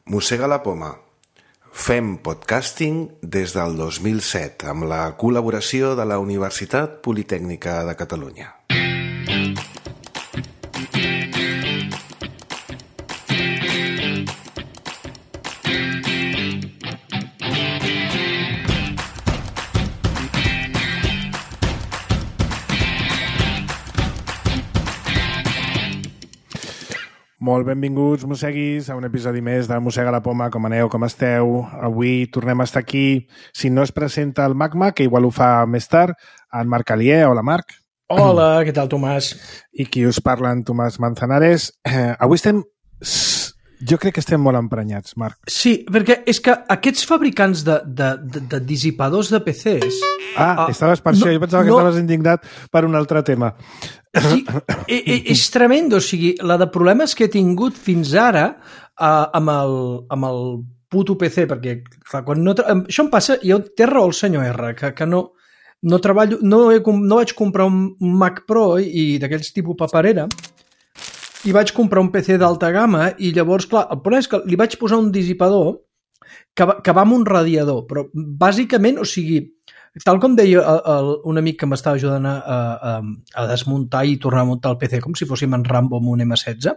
Mossega la poma. Fem podcasting des del 2007 amb la col·laboració de la Universitat Politècnica de Catalunya. Molt benvinguts, mosseguis, a un episodi més de Mossega la poma. Com aneu, com esteu? Avui tornem a estar aquí. Si no es presenta el Magma, que igual ho fa més tard, en Marc Alier. Hola, Marc. Hola, què tal, Tomàs? I qui us parla, en Tomàs Manzanares. Avui estem... Jo crec que estem molt emprenyats, Marc. Sí, perquè és que aquests fabricants de dissipadors de PCs... estaves per això. Jo pensava que estaves indignat per un altre tema. Sí, és tremendo. O sigui, la de problemes que he tingut fins ara amb el puto PC, perquè clar, quan això em passa, jo té raó el senyor R, que no treballo, no vaig comprar un Mac Pro i d'aquells tipus paperera, i vaig comprar un PC d'alta gamma i llavors, clar, el problema és que li vaig posar un dissipador que va amb un radiador, però bàsicament, o sigui, tal com deia un amic que m'estava ajudant a desmuntar i tornar a muntar el PC com si fóssim en Rambo amb un M16,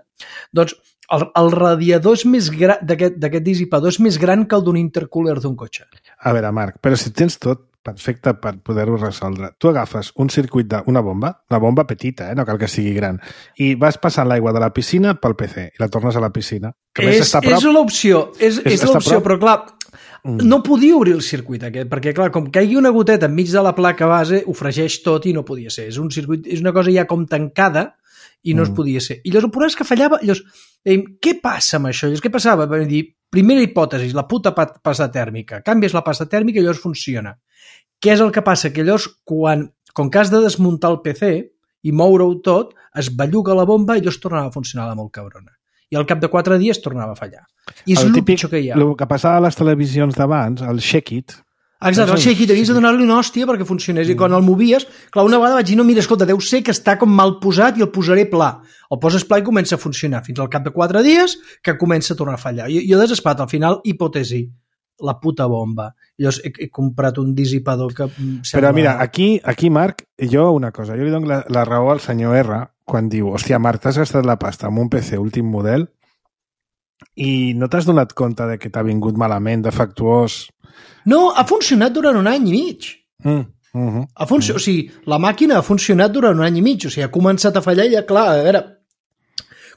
doncs el radiador d'aquest dissipador és més gran que el d'un intercooler d'un cotxe. A veure, Marc, però si tens tot perfecte per poder-ho resoldre. Tu agafes un circuit d'una bomba, la bomba petita, no cal que sigui gran, i vas passant l'aigua de la piscina pel PC i la tornes a la piscina. És l'opció, és l'opció, però clar, no podia obrir el circuit aquest, perquè clar, com caigui una goteta enmig de la placa base, ho fregeix tot i no podia ser. És un circuit, és una cosa ja com tancada i no es podia ser. I llavors el problema és que fallava, llavors dèiem, què passa amb això? Llavors, què passava? Vam dir, primera hipòtesi, la puta pasta tèrmica. Canvies la pasta tèrmica i llavors funciona. Què és el que passa? Que llavors, com que has de desmuntar el PC i moure-ho tot, es belluga la bomba i llavors tornava a funcionar la molt cabrona. I al cap de 4 dies tornava a fallar. I és el pitjor que hi ha. El que passava a les televisions d'abans, el Shake It. Exacte, el Shake It, havies de donar-li una hòstia perquè funcionés. I quan el movies, clar, una vegada vaig dir, no, mira, escolta, deu ser que està com mal posat i el posaré pla. El poses pla i comença a funcionar. Fins al cap de 4 dies que comença a tornar a fallar. Jo desesperat, al final, hipòtesi, la puta bomba. Llavors he comprat un dissipador que... Però mira, aquí, Marc, jo una cosa, jo li dono la raó al senyor R quan diu, hòstia, Marc, t'has gastat la pasta amb un PC últim model i no t'has donat compte de que t'ha vingut malament, defectuós? No, ha funcionat durant 1 any i mig. O sigui, la màquina ha funcionat durant 1 any i mig. O sigui, ha començat a fallar i ja, clar, a veure...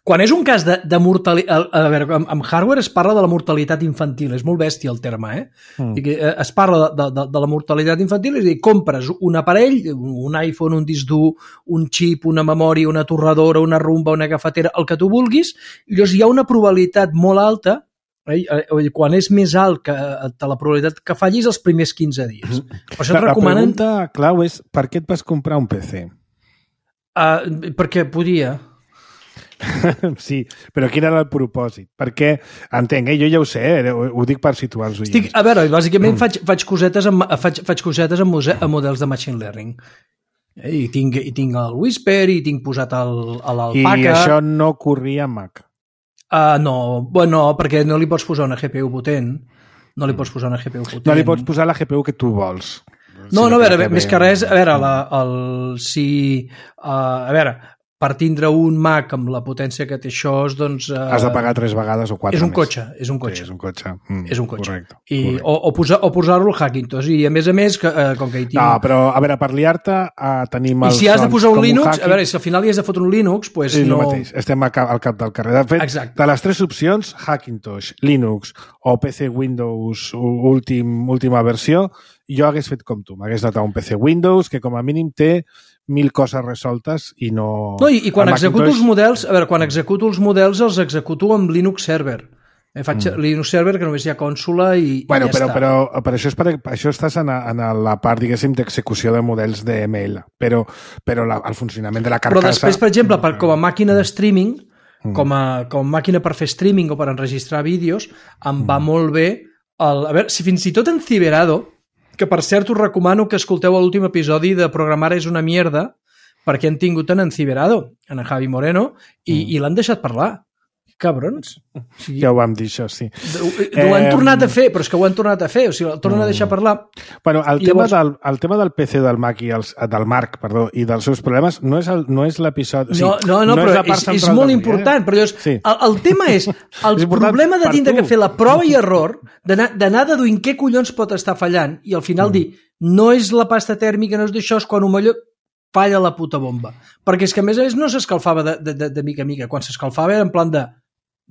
Quan és un cas de mortalitat... A veure, amb hardware es parla de la mortalitat infantil. És molt bèstia el terme, Es parla de la mortalitat infantil, és a dir, compres un aparell, un iPhone, un disc dur, un xip, una memòria, una torradora, una rumba, una cafetera, el que tu vulguis, i llavors hi ha una probabilitat molt alta, quan és més alt que la probabilitat que fallis els primers 15 dies. Per això et recomanen... La pregunta clau és per què et vas comprar un PC? Perquè podia... Sí, però quin era el propòsit? Perquè, entenc, jo ja ho sé, ho dic per situar els oients. A veure, bàsicament faig cosetes amb models de machine learning. I tinc el Whisper i tinc posat l'Alpaca. I això no corria en Mac? No, perquè no li pots posar una GPU potent. No li pots posar una GPU potent. No li pots posar la GPU que tu vols. No, a veure, més que res, a veure, per tindre un Mac amb la potència que té això, doncs... Has de pagar 3 vegades o 4 més. És un Sí, cotxe. és un cotxe. És un cotxe. Correcte. O posar-lo al Hackintosh. I a més, com que hi tinc... No, però, a veure, per liar-te, tenim els... I si has de posar un Linux, a veure, si al final hi has de fotre un Linux, doncs no... És el mateix, estem al cap del carrer. De fet, exacte. De les 3 opcions, Hackintosh, Linux o PC Windows última versió, jo hagués fet com tu. M'hagués anat a un PC Windows que com a mínim té 1000 coses resoltes i no... No, i quan executo els models, a veure, els executo amb Linux Server. Faig Linux Server, que només hi ha consola i ja està. Però això estàs en la part, diguéssim, d'execució de models de ML, però el funcionament de la carcassa... Però després, per exemple, com a màquina de streaming, com a màquina per fer streaming o per enregistrar vídeos, em va molt bé... A veure, si fins i tot en Ciberado, que per cert us recomano que escolteu l'últim episodi de Programar és una mierda, perquè han tingut en Ciberado, en Javi Moreno, i l'han deixat parlar. cabrons. Sí. Ja ho vam dir, això, sí. Ho han tornat a fer, però és que ho han tornat a fer, o sigui, el tornen a deixar parlar. Bueno, el tema del PC del Mac del Marc, perdó, i dels seus problemes no és l'episodi... No, però és molt important, però el tema és el problema de tindre que fer la prova i error, d'anar deduint què collons pot estar fallant, i al final dir, no és la pasta tèrmica, no és d'això, és quan millor falla la puta bomba. Perquè és que a més no s'escalfava de mica a mica, quan s'escalfava era en plan de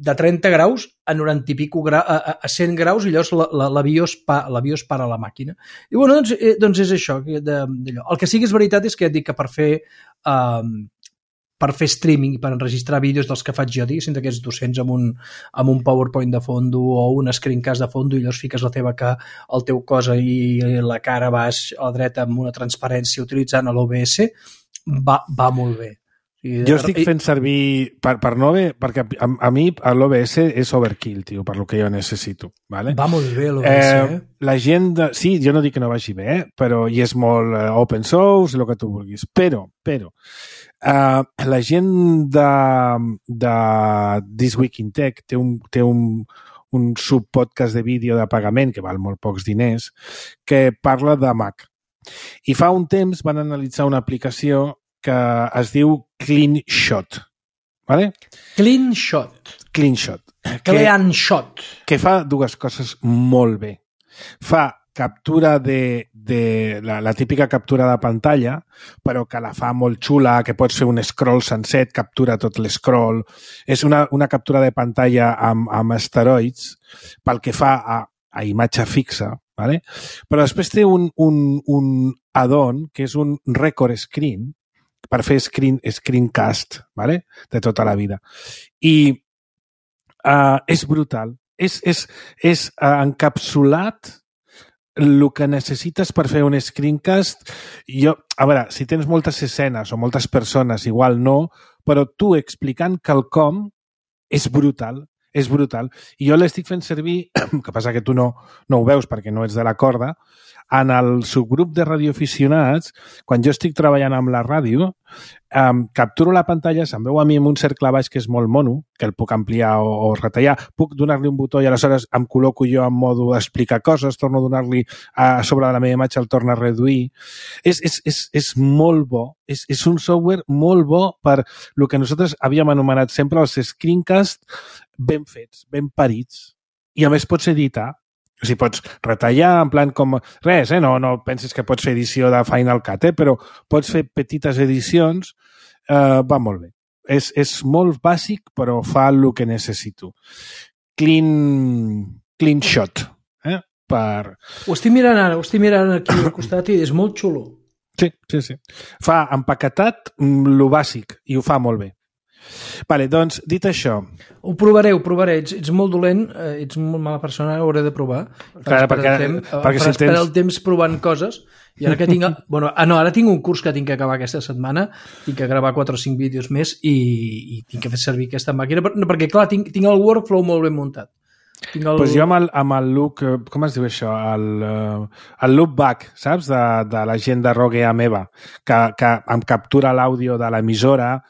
30 graus a 90 i pico a 100 graus i llavors la BIOS para la màquina. I bueno, doncs és això. D'allò. El que sí que és veritat és que ja et dic que per fer streaming i per enregistrar vídeos dels que faig jo, diguéssim, d'aquests 200 amb un PowerPoint de fondo o un screencast de fondo i llavors fiques la teva el teu cosa i la cara baix a la dreta amb una transparència utilitzant l'OBS, va molt bé. Jo estic fent servir per no bé, perquè a mi l'OBS és overkill, tio, per lo que jo necessito. Vale? Va molt bé l'OBS, La gent... Sí, jo no dic que no vagi bé, però i és molt open source, el que tu vulguis. Però la gent de This Week in Tech té un subpodcast de vídeo de pagament que val molt pocs diners que parla de Mac. I fa un temps van analitzar una aplicació que es diu CleanShot. ¿Vale? CleanShot. Que fa dues coses molt bé. Fa captura de la típica captura de pantalla, però que la fa molt xula, que pots fer un scroll sencer, captura tot l'escroll. És una captura de pantalla amb esteroids pel que fa a imatge fixa, ¿vale? Però després té un add-on que és un record screen per fer screencast, ¿vale? De tota la vida. I és brutal. És encapsulat el que necessites per fer un screencast. A veure, si tens moltes escenes o moltes persones, igual no, però tu explicant quelcom és brutal. És brutal. I jo l'estic fent servir, que passa que tu no ho veus perquè no ets de la corda, en el subgrup de radioaficionats, quan jo estic treballant amb la ràdio, capturo la pantalla, se'm veu a mi amb un cercle baix que és molt mono, que el puc ampliar o retallar, puc donar-li un botó i aleshores em col·loco jo en modo explicar coses, torno a donar-li a sobre de la meva imatge, el torno a reduir. És molt bo, és un software molt bo per el que nosaltres havíem anomenat sempre els screencasts ben fets, ben parits, i a més pots editar. O sigui, pots retallar en plan com... Res, no pensis que pots fer edició de Final Cut, però pots fer petites edicions. Va molt bé. És molt bàsic, però fa el que necessito. CleanShot. Ho estic mirant ara, aquí al costat i és molt xulo. Sí. Fa empaquetat lo bàsic i ho fa molt bé. Vale, doncs, dit això... Ho provaré. Ets molt dolent, ets molt mala persona, ho hauré de provar. Clar, perquè si tens... el temps provant coses. I ara que tinc... ara tinc un curs que tinc que acabar aquesta setmana, tinc que gravar 4 o 5 vídeos més i tinc que fer servir aquesta màquina, perquè, clar, tinc el workflow molt ben muntat. Pues jo amb el look... Com es diu això? El loopback, saps? De la gent de Rogue Ameba, que em captura l'àudio de l'emissora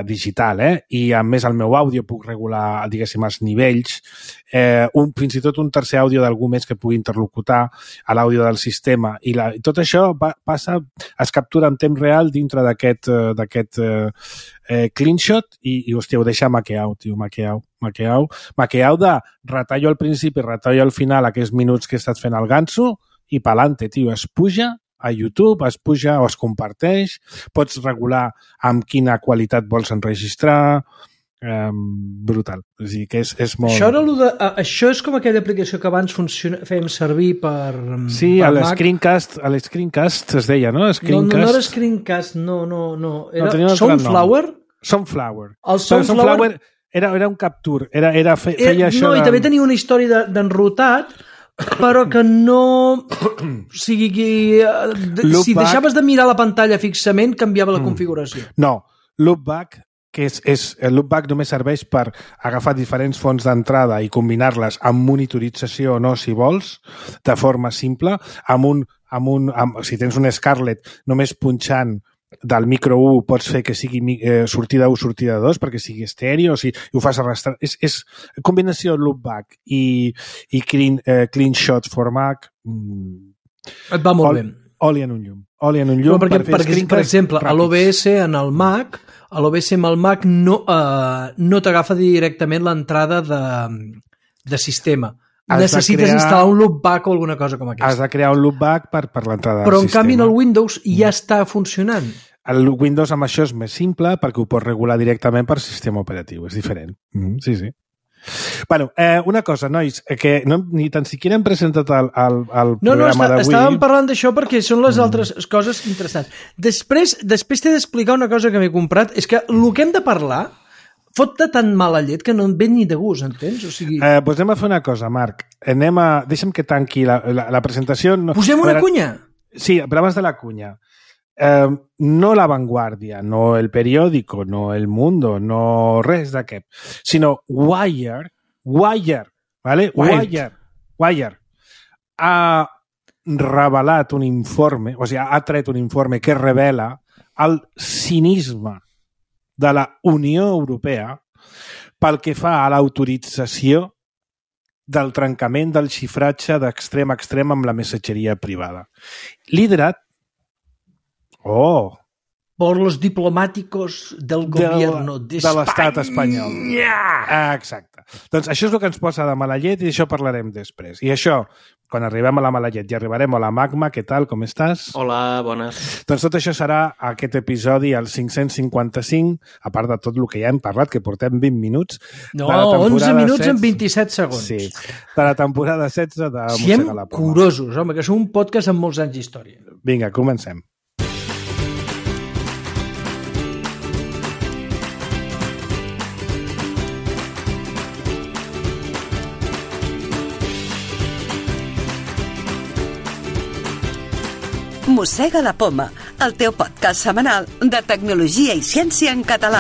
digital, i a més el meu àudio puc regular, diguéssim, els nivells, fins i tot un tercer àudio d'algú més que pugui interlocutar a l'àudio del sistema, i tot això es captura en temps real dintre d'aquest CleanShot i hòstia, ho deixa maqueau, tio, maqueau de retallo al principi, retallo al final aquests minuts que he estat fent el ganso i pa'lante, tio, es puja a YouTube, es puja o es comparteix, pots regular amb quina qualitat vols enregistrar, brutal. O sigui que és molt... Això és com aquella aplicació que abans fèiem servir per Sí, per a l'Screencast es deia, no? No era Screencast, no. Era Sunflower? Sunflower. El Sunflower era un capture, feia això... No, i també tenia una història d'enrotat, però que no... O sigui, si deixaves de mirar la pantalla fixament, canviava la configuració. No, Loopback, el Loopback només serveix per agafar diferents fonts d'entrada i combinar-les amb monitorització o no, si vols, de forma simple, si tens un Scarlett, només punxant del micro 1 pots fer que sigui sortida 1, sortida 2, perquè sigui estèreo, o sigui, ho fas arrastrar. És combinació loopback i clean shot for Mac. Et va molt bé. Oli en un llum. Oli en un llum perquè, per exemple, a l'OBS en el Mac, a l'OBS amb el Mac no t'agafa directament l'entrada de sistema. Necessites instal·lar un loopback o alguna cosa com aquesta. Has de crear un loopback per l'entrada del sistema. Però en canvi en el Windows ja està funcionant. El Windows amb això és més simple perquè ho pots regular directament per sistema operatiu. És diferent. Sí. Bueno, una cosa, nois, que ni tan siquiera hem presentat el programa d'avui. Estàvem parlant d'això perquè són les altres coses interessants. Després t'he d'explicar una cosa que m'he comprat. És que el que hem de parlar fot de tan mala llet que no em ve ni de gust, entens? O sigui... Doncs anem a fer una cosa, Marc. Deixa'm que tanqui la presentació. Posem una cunya? Sí, però abans de la cunya. No La Vanguardia, no El Periódico, no El Mundo, no res d'aquest, sinó Wire, ¿vale? Wire ha revelat un informe, o sigui, ha tret un informe que revela el cinisme de la Unió Europea pel que fa a l'autorització del trencament del xifratge d'extrem a extrem amb la missatgeria privada. Liderat por los diplomáticos del gobierno de l'estat espanyol. Exacte. Doncs això és el que ens posa de mala llet i d'això parlarem després. I això, quan arribem a la mala llet i arribarem a la Magma, què tal, com estàs? Hola, bones. Doncs tot això serà aquest episodi, el 555, a part de tot el que ja hem parlat, que portem 20 minuts. No, 11 minuts en 27 segons. Sí, de la temporada 16 de Mossega la Poma. Curosos, home, que som un podcast amb molts anys d'història. Vinga, comencem. Mossega la Poma, el teu podcast setmanal de tecnologia i ciència en català.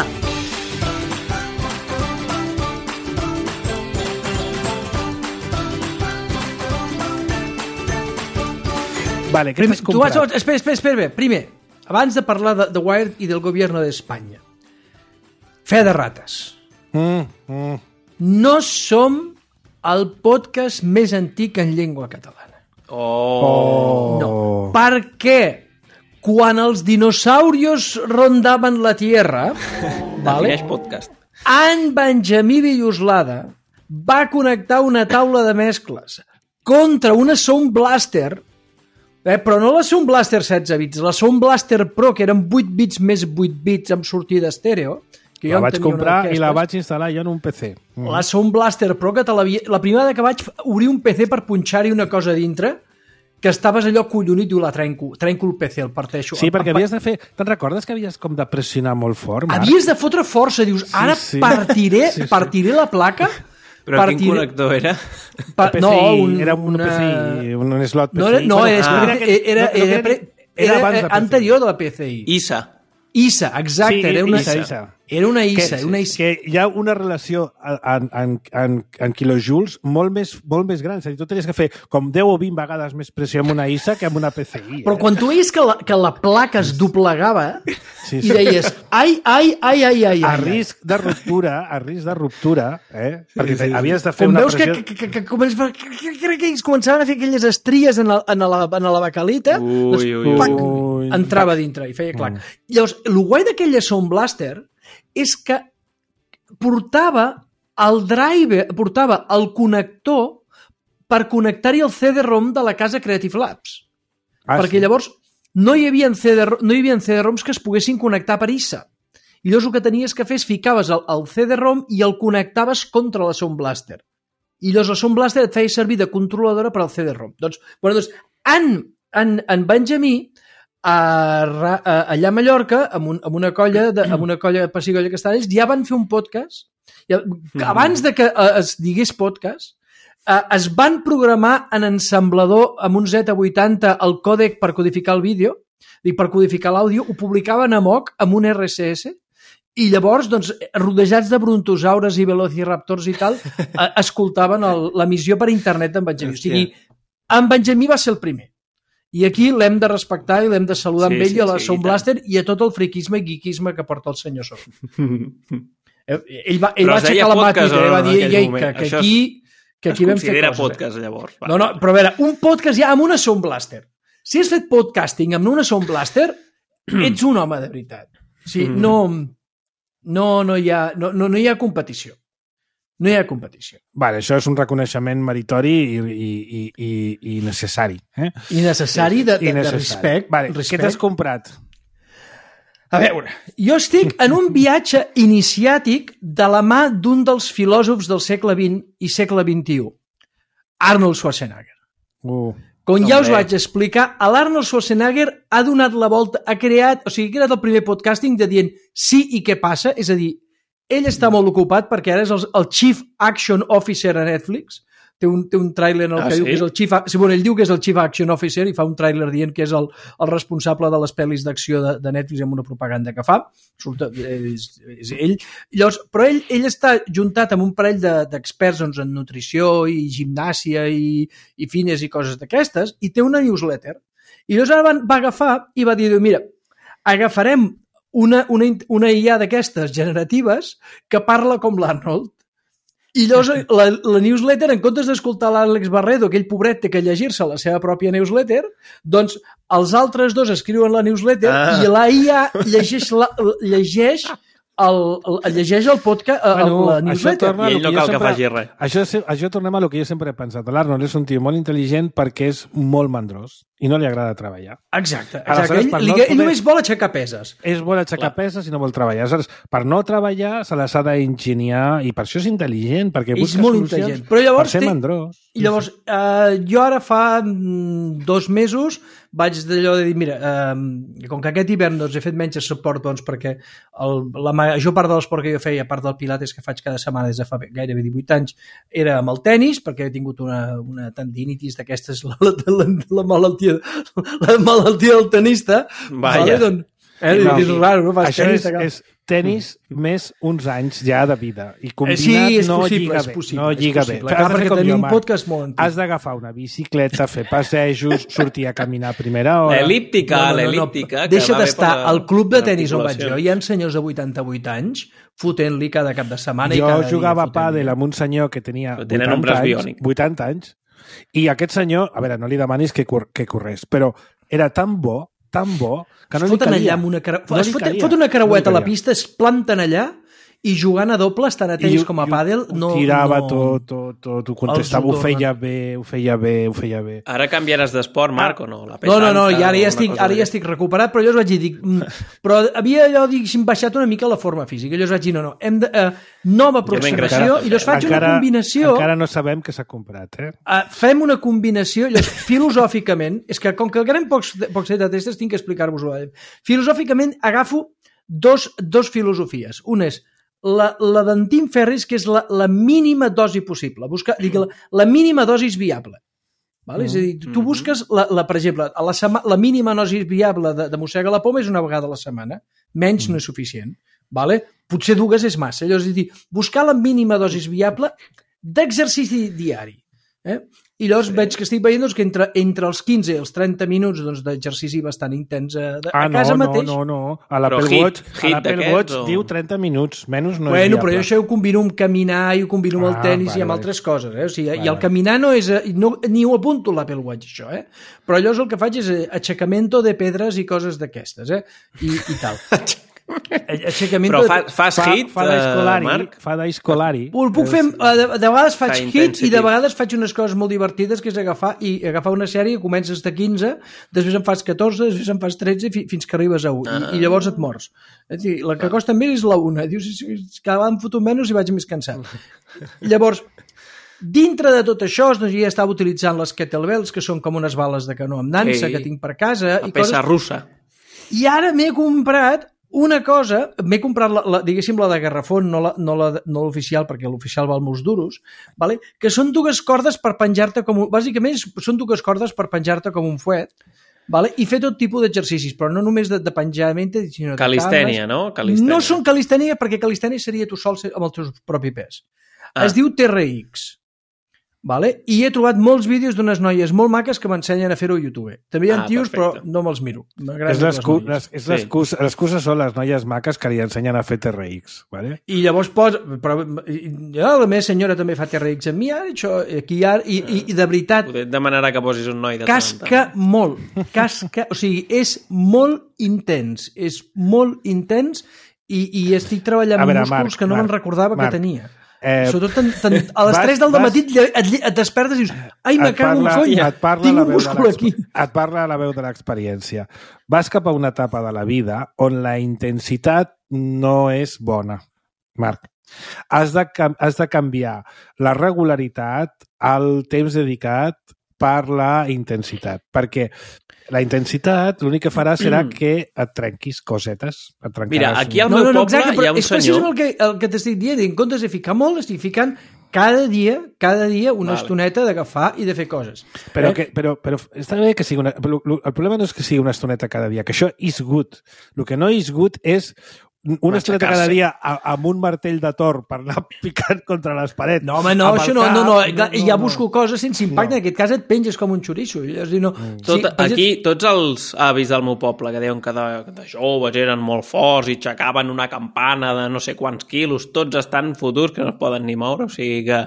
Vale, què t'has comprat? Espera. Primer, abans de parlar de Wired i del govern d'Espanya, fe de rates. No som el podcast més antic en llengua catalana. No, perquè quan els dinosaurios rondaven la Tierra, defineix podcast. en Benjamí Villoslada va connectar una taula de mescles contra una Sound Blaster, però no la Sound Blaster 16 bits, la Sound Blaster Pro, que eren 8 bits més 8 bits amb sortida estèreo, que la vaig comprar i la vaig instal·lar jo en un PC. La Sound Blaster Pro, que la primera que vaig obrir un PC per punxar-hi una cosa dintre, que estaves allò collonit, diu, la trenco el PC, el parteixo. Sí, perquè havies de fer... Te'n recordes que havies com de pressionar molt fort, Marc? Havies de fotre força, dius, ara partiré la placa... Però quin connector era? Era un PCI, un slot PCI. Era anterior de la PCI. ISA, exacte, sí, era una ISA. Era una ISA. Que hi ha una relació en quilojoules molt més gran. És a dir, tu tenies que fer com 10 o 20 vegades més pressió amb una ISA que amb una PCI. Però quan tu veies que la placa es doblegava i deies, ai. A risc de ruptura, perquè havies de fer una pressió... Com veus que començaven a fer aquelles estries en la bacalita, entrava dintre i feia clac. Llavors, el guai d'aquella Sound Blaster és que portava el connector per connectar-hi el CD-ROM de la casa Creative Labs. Perquè llavors no hi havia CD-ROMs que es poguessin connectar per ISA. I llavors el que tenies que fer és ficaves el CD-ROM i el connectaves contra la Sound Blaster. I llavors la Sound Blaster et feia servir de controladora per al CD-ROM. Doncs en Benjamí, allà a Mallorca, amb una colla pessigolles que estan ells, ja van fer un podcast. Abans de que es digués podcast, es van programar en ensamblador amb un Z80 el còdec per codificar el vídeo, i per codificar l'àudio, ho publicaven a moc amb un RSS, i llavors, doncs, rodejats de brontosaures i velociraptors i tal, escoltaven l'emissió per internet d'en Benjamí. O sigui, en Benjamí va ser el primer. I aquí l'hem de respectar i l'hem de saludar amb ell i a la Sound Blaster i a tot el friquisme i geekisme que porta el senyor Sound. Ell va aixecar la màtica i va dir que aquí vam fer coses. Podcast, llavors. No, però a veure, un podcast ja amb una Sound Blaster. Si has fet podcasting amb una Sound Blaster, ets un home de veritat. O sigui, no hi ha competició. No hi ha competició. Vale, això és un reconeixement meritori i necessari. I necessari de respecte. Vale, què t'has comprat? A veure, jo estic en un viatge iniciàtic de la mà d'un dels filòsofs del segle XX i segle XXI, Arnold Schwarzenegger. Com ja us vaig explicar, l'Arnold Schwarzenegger ha donat la volta, ha creat el primer podcasting de dient sí i què passa, és a dir, ell està molt ocupat perquè ara és el Chief Action Officer a Netflix, té un tràiler en el que diu que és el Chief... ell diu que és el Chief Action Officer i fa un tràiler dient que és el responsable de les pel·lis d'acció de Netflix amb una propaganda que fa. És ell. Llavors, però ell està juntat amb un parell d'experts en nutrició i gimnàsia i fines i coses d'aquestes i té una newsletter. I llavors ara va agafar i va dir, mira, agafarem una IA d'aquestes generatives que parla com l'Arnold. I llavors la newsletter, en comptes d'escoltar l'Àlex Barredo, aquell pobret té que llegir-se la seva pròpia newsletter, doncs els altres dos escriuen la newsletter i la IA llegeix el podcast, la newsletter. I ell no cal que faci res. Això tornem a lo que jo sempre he pensat. L'Arnold és un tio molt intel·ligent perquè és molt mandrós i no li agrada treballar. Exacte. Ell només vol aixecar peses. Ell vol aixecar peses i no vol treballar. Per no treballar se les ha d'enginyar i per això és intel·ligent, perquè busca solucions per ser mandrós. I llavors, jo ara fa 2 mesos vaig d'allò de dir, mira, com que aquest hivern he fet menys suport, perquè la major part de l'esport que jo feia, a part del pilates que faig cada setmana des de fa gairebé 18 anys, era amb el tennis, perquè he tingut una tendinitis d'aquestes, la malaltia del tenista. Vaja. És raro, no? Fas això és tenis més uns anys ja de vida. I combinat no lliga bé. Perquè tenim un podcast molt antic. Has d'agafar una bicicleta, fer passejos, sortir a caminar a primera hora... L'elíptica. Deixa d'estar al club de tenis on vaig jo. Hi ha senyors de 88 anys fotent-li cada cap de setmana. Jo jugava a pàdel amb un senyor que tenia 80 anys i aquest senyor, a veure, no li demanis que corrés, però era tan bo que no li calia. Fot una creueta a la pista, es planten allà i jugant a dobles, tant a tenis com a pàdel, no... Tirava tot, ho contestava, ho feia bé. Ara canviaràs d'esport, Marc, o no? No, i ara ja estic recuperat, però llavors vaig dir, però havia allò, diguéssim, baixat una mica la forma física, llavors vaig dir, no, hem de... nova aproximació, i llavors faig una combinació... Encara no sabem què s'ha comprat, fem una combinació, llavors, filosòficament, és que com que el gran pocs de testes tinc que explicar-vos-ho, filosòficament agafo dos filosofies. Una és la d'en Tim Ferriss, que és la mínima dosi possible. La mínima dosi viable. És a dir, tu busques, per exemple, la mínima dosi viable de mossega la poma és una vegada a la setmana. Menys no és suficient. Potser 2 és massa. Llavors, és a dir, buscar la mínima dosi viable d'exercici diari. I llavors veig que estic veient que entre els 15 i els 30 minuts d'exercici bastant intens a casa mateix. No. A l'Apple Watch diu 30 minuts, menys no és viable. Però jo això ho combino amb caminar i ho combino amb el tennis i amb altres coses. I el caminar no és... Ni ho apunto a l'Apple Watch, això. Però llavors el que faig és aixecamento de pedres i coses d'aquestes. I tal. Però fas hit, Marc? Fa d'escolari. Ho puc fer, de vegades faig hit i de vegades faig unes coses molt divertides, que és agafar una sèrie, comences de 15, després en fas 14, després en fas 13 fins que arribes a 1 i llavors et mors. La que costa més és la 1. Dius, cada vegada em foto menys i vaig més cansat. Llavors, dintre de tot això, jo ja estava utilitzant les kettlebells, que són com unes bales de canó amb nansa que tinc per casa. La peça russa. I ara m'he comprat una cosa, m'he comprat, diguéssim, la de garrafón, no l'oficial, perquè l'oficial val molts duros, que són 2 cordes per penjar-te com un... Bàsicament, són 2 cordes per penjar-te com un fuet, i fer tot tipus d'exercicis, però no només de penjament, sinó de calistènia, no? No són calistènia, perquè calistènia seria tu sol amb el teu propi pes. Es diu TRX. Vale? I he trobat molts vídeos d'unes noies molt maques que m'ensenyen a fer-ho a YouTube. També hi ha tios, perfecte. però no me'ls miro. L'excusa són les noies maques que li ensenyen a fer TRX. Vale? I llavors la meva senyora també fa TRX amb mi, això, aquí, i de veritat... Poder demanarà que posis un noi de casca molt. O sigui, és molt intens. És molt intens i estic treballant amb músculs que no me'n recordava que tenia. Sobretot a les 3 del matí et despertes i dius ai, me cago en folla, tinc un múscul aquí. Et parla la veu de l'experiència. Vas cap a una etapa de la vida on la intensitat no és bona, Marc. Has de canviar la regularitat al temps dedicat per la intensitat, perquè la intensitat l'únic que farà serà que et trenquis cosetes. Mira, aquí al meu poble hi ha un senyor... És precisament el que t'estic dient. En comptes de ficar molt, estic ficant cada dia una estoneta d'agafar i de fer coses. Però està bé que sigui una... El problema no és que sigui una estoneta cada dia, que això is good. El que no is good és una estoneta cada dia amb un martell de Thor per anar picant contra les parets. No, home, no, això no. Ja busco coses sense impacte. En aquest cas et penges com un xoriço. Aquí, tots els avis del meu poble que deien que de joves eren molt forts i aixecaven una campana de no sé quants quilos, tots estan fotuts que no es poden ni moure, o sigui que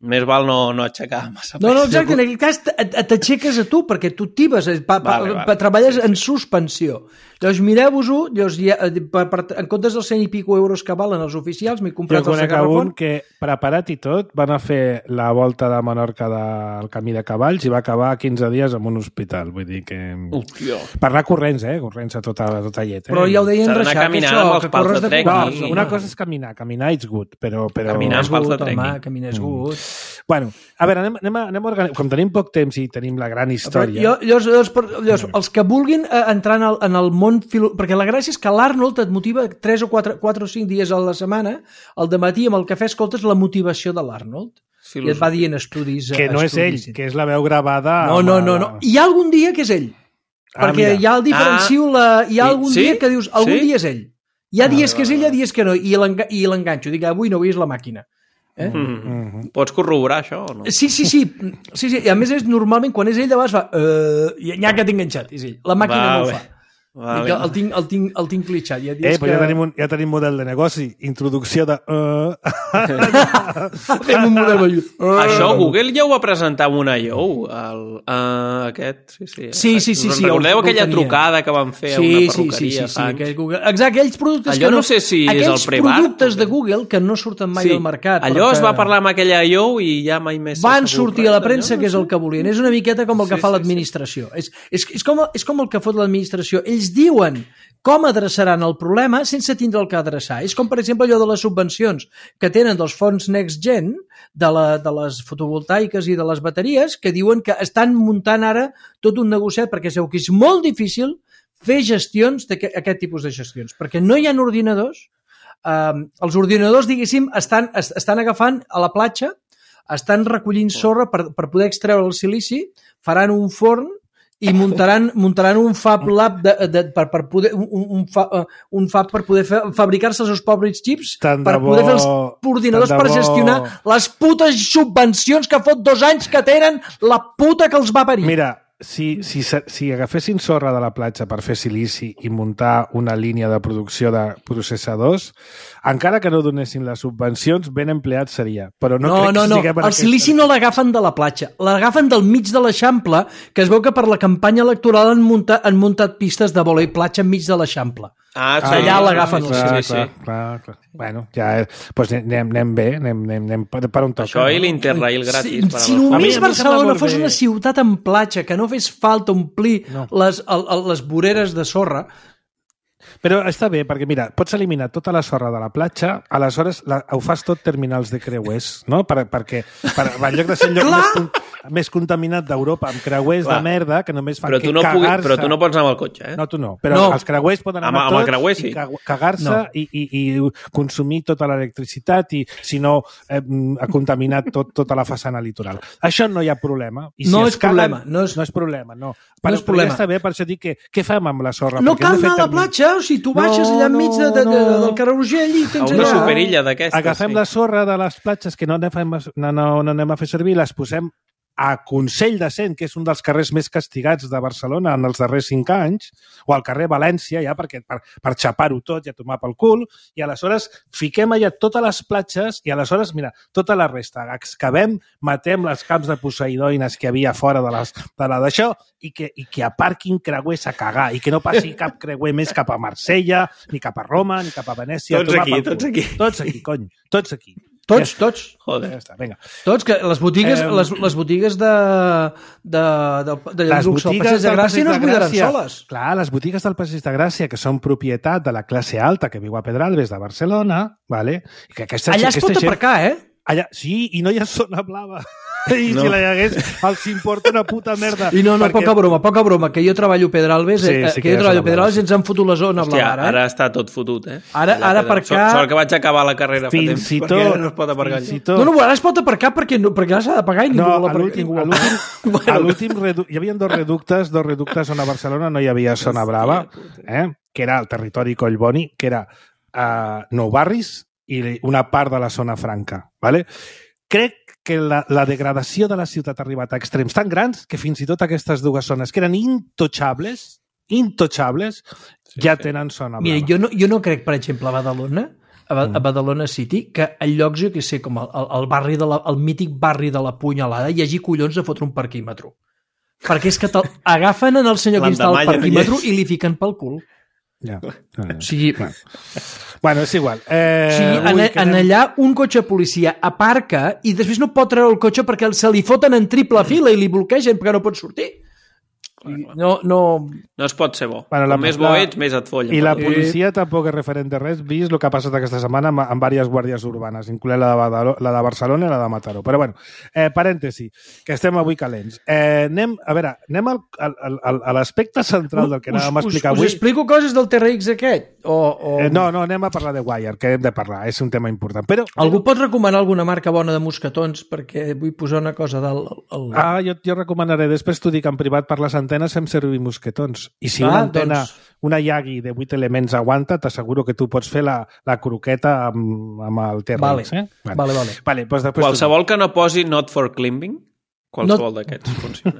més val no aixecar massa pes. No, exacte, en aquest cas t'aixeques a tu, perquè tu tibes, treballes en suspensió. Llavors, mireu-vos-ho, en comptes dels 100 i pico euros que valen els oficials, m'he comprat el sacarrafon. Jo conec un que, preparat i tot, van a fer la volta de Menorca del camí de cavalls i va acabar 15 dies en un hospital. Vull dir que... Hòstia. Per anar corrents, corrents a tota llet. Però ja ho deien reixar, que corres de trekking. No, una cosa és caminar it's good, però... Caminar amb pals de trekking. Caminar és good. Bueno, a veure, anem a organitzar... Com tenim poc temps i tenim la gran història... Llavors, els que vulguin entrar en el món... Perquè la gràcia és que l'Arnold et motiva 3 o 4 o 5 dies a la setmana, al dematí amb el cafè escoltes la motivació de l'Arnold. I et va dient estudis... Que no és ell, que és la veu gravada... No. Hi ha algun dia que és ell. Perquè ja el diferencio... Hi ha algun dia que dius, algun dia és ell. Hi ha dies que és ell, hi ha dies que no. I l'enganxo. Dic, avui no, avui és la màquina. Pots corroborar això o no? Sí. I a més, normalment, quan és ell, de vegades fa... Ja que t'he enganxat, és ell. La màquina no ho fa. El tinc clitxat. Ja tenim model de negoci. Introducció de... Fem un model vellut. Això Google ja ho va presentar amb una IO, aquest. Sí. Recordeu aquella trucada que van fer a una perruqueria? Sí. Exacte, aquells productes allò no sé si és el pre-bar. Aquells productes de Google que no surten mai al mercat. Allò es va parlar amb aquella IO i ja mai més... Van sortir a la premsa que és el que volien. És una miqueta com el que fa l'administració. És com el que fot l'administració. Ells diuen com adreçaran el problema sense tindre el que adreçar. És com, per exemple, allò de les subvencions que tenen dels fons Next Gen, de les fotovoltaiques i de les bateries, que diuen que estan muntant ara tot un negociat perquè es veu que és molt difícil fer gestions d'aquest tipus de gestions, perquè no hi ha ordinadors. Els ordinadors, diguéssim, estan agafant a la platja, estan recollint sorra per poder extreure el silici, faran un forn i muntaran un Fab Lab per poder un Fab per poder fabricar-se els seus pobres xips, per poder fer els ordinadors per gestionar les putes subvencions que fot 2 anys que tenen la puta que els va parir. Mira, si agafessin sorra de la platja per fer silici i muntar una línia de producció de processadors, encara que no donessin les subvencions, ben empleat seria. Però no. El silici no l'agafen de la platja, l'agafen del mig de l'Eixample, que es veu que per la campanya electoral han muntat pistes de vòlei platja enmig de l'Eixample. Allà l'agafen el silici. Clar. Bueno, ja... Doncs anem bé, anem per on toca. Això i l'Interrail gratis. Si només Barcelona fos una ciutat en platja, que no fes falta omplir les voreres de sorra... Però està bé, perquè mira, pots eliminar tota la sorra de la platja, aleshores ho fas tot terminals de creuers, no? Perquè en lloc de ser més contaminat d'Europa, amb creuers de merda que només fan cagar-se. Però tu no pots anar amb el cotxe, eh? No, tu no. Però els creuers poden anar amb el creuer, sí. I cagar-se i consumir tota l'electricitat i, si no, ha contaminat tota la façana litoral. Això no hi ha problema. I si no és problema. No és problema, no. No és problema. Ja està bé, per això dic que què fem amb la sorra? No cal anar a la platja, o sigui, tu baixes allà enmig del carrer Urgell i tens allà... Una superilla d'aquestes. Agafem la sorra de les platges que no anem a fer servir, les posem a Consell de Cent, que és un dels carrers més castigats de Barcelona en els darrers 5 anys, o al carrer València, ja per xapar-ho tot i a tomar pel cul, i aleshores fiquem allà totes les platges i aleshores, mira, tota la resta, excavem, matem les camps de poseidoines que hi havia fora d'això i que aparquin creuers a cagar i que no passi cap creuer més cap a Marsella, ni cap a Roma, ni cap a Venècia. Tots aquí. Tots aquí, cony. Tots aquí. Tots. Joder. Ja està, vinga. Tots, que les botigues de luxe al Passeig de Gràcia no es buidaran soles. Clar, les botigues del Passeig de Gràcia, que són propietat de la classe alta que viu a Pedralbes de Barcelona, vale? I que allà es pot aparcar, eh? Allà, sí, i no hi ha zona blava. I si la hi hagués, els importa una puta merda. I no, poca broma, que jo treballo a Pedralbes, que jo treballo a Pedralbes i ens han fotut la zona blava. Ara està tot fotut, eh? Ara aparcar... Sort que vaig acabar la carrera fa temps, perquè no es pot aparcar allà. No, ara es pot aparcar perquè ara s'ha de pagar i ningú vol aparcar. A l'últim hi havia dos reductes on a Barcelona no hi havia zona brava, que era el territori Collboni, que era Nou Barris i una part de la zona franca, ¿vale? Crec que la degradació de la ciutat ha arribat a extrems tan grans que fins i tot aquestes dues zones que eren intotxables, ja tenen zona blava. Mira, jo no crec, per exemple, a Badalona City, que en llocs, jo què sé, com el mític barri de la Punyalada, hi hagi collons de fotre un parquímetro. Perquè és que agafen en el senyor que instala el parquímetro i li fiquen pel cul. Ja. O sigui... Bueno, és igual. Allà un cotxe policia aparca i després no pot treure el cotxe perquè se li foten en triple fila i li bloquegen perquè no pot sortir. No es pot ser bo. Bueno, més bo ets, més et follen. I la policia tampoc és referent de res, vist el que ha passat aquesta setmana amb diverses guàrdies urbanes, incloent la de Barcelona i la de Mataró. Però bueno, parèntesi, que estem avui calents. Anem a l'aspecte central del que anàvem a explicar avui. Us explico coses del TRX aquest? No, anem a parlar de Wire, que hem de parlar, és un tema important. Però algú pot recomanar alguna marca bona de mosquetons? Perquè vull posar una cosa jo recomanaré, després t'ho dic en privat per les antenes fem servir mosquetons. I si una antena, una Yagi de 8 elements aguanta, t'asseguro que tu pots fer la croqueta amb el TRX. Vale. Pues qualsevol que no posi not for climbing, qualsevol d'aquests funciona.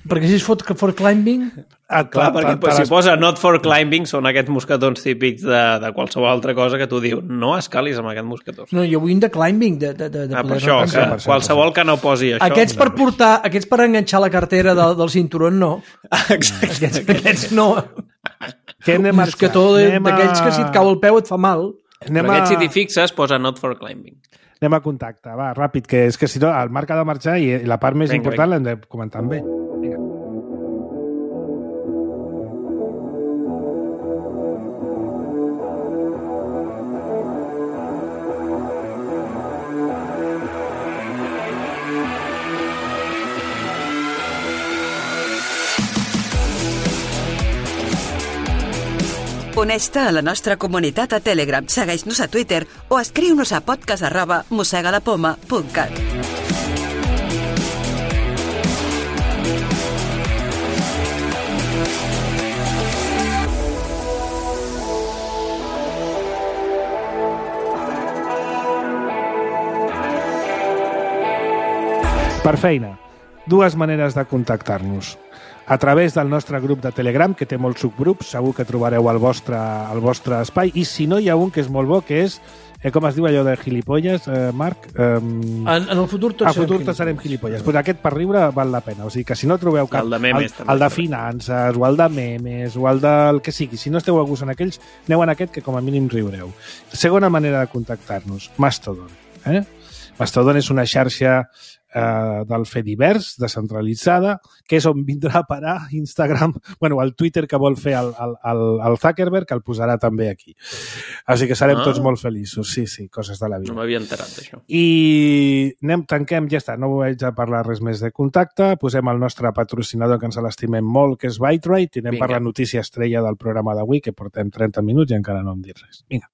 Perquè si és for climbing... Clar, perquè si posa not for climbing són aquests mosquetons típics de qualsevol altra cosa que tu dius, no escalis amb aquest mosquetó. No, jo vull un de climbing. Per això, qualsevol que no posi això. Aquests per enganxar la cartera del cinturó, no. Exacte. Aquests no. Un mosquetó d'aquells que si et cau el peu et fa mal. Però aquests si t'hi fixes posa not for climbing. Anem a contacte, va, ràpid, que és que si no el Marc ha de marxar i la part més important l'hem de comentar amb ell. Vinga. Uneix-te a la nostra comunitat a Telegram, segueix-nos a Twitter o escriu-nos a podcast@mossegalapoma.cat. Per feina, dues maneres de contactar-nos. A través del nostre grup de Telegram, que té molts subgrups, segur que trobareu el vostre espai, i si no, hi ha un que és molt bo, que és, com es diu allò de gilipolles, Marc? En el futur tots serem gilipolles. Pues aquest per riure val la pena. O sigui que si no trobeu cap... El de memes, el de finances, o el de memes, o el del que sigui. Si no esteu a gust en aquells, aneu en aquest, que com a mínim riureu. Segona manera de contactar-nos, Mastodon. Mastodon és una xarxa del Fediverse, descentralitzada, que és on vindrà a parar Instagram, bueno, el Twitter que vol fer el Zuckerberg, que el posarà també aquí. Així que serem tots molt feliços. Sí, coses de la vida. No m'havia enterat d'això. I tanquem, ja està, no vaig a parlar res més de contacte, posem el nostre patrocinador que ens l'estimem molt, que és Byte-Rite, i anem per la notícia estrella del programa d'avui, que portem 30 minuts i encara no hem dit res. Vinga.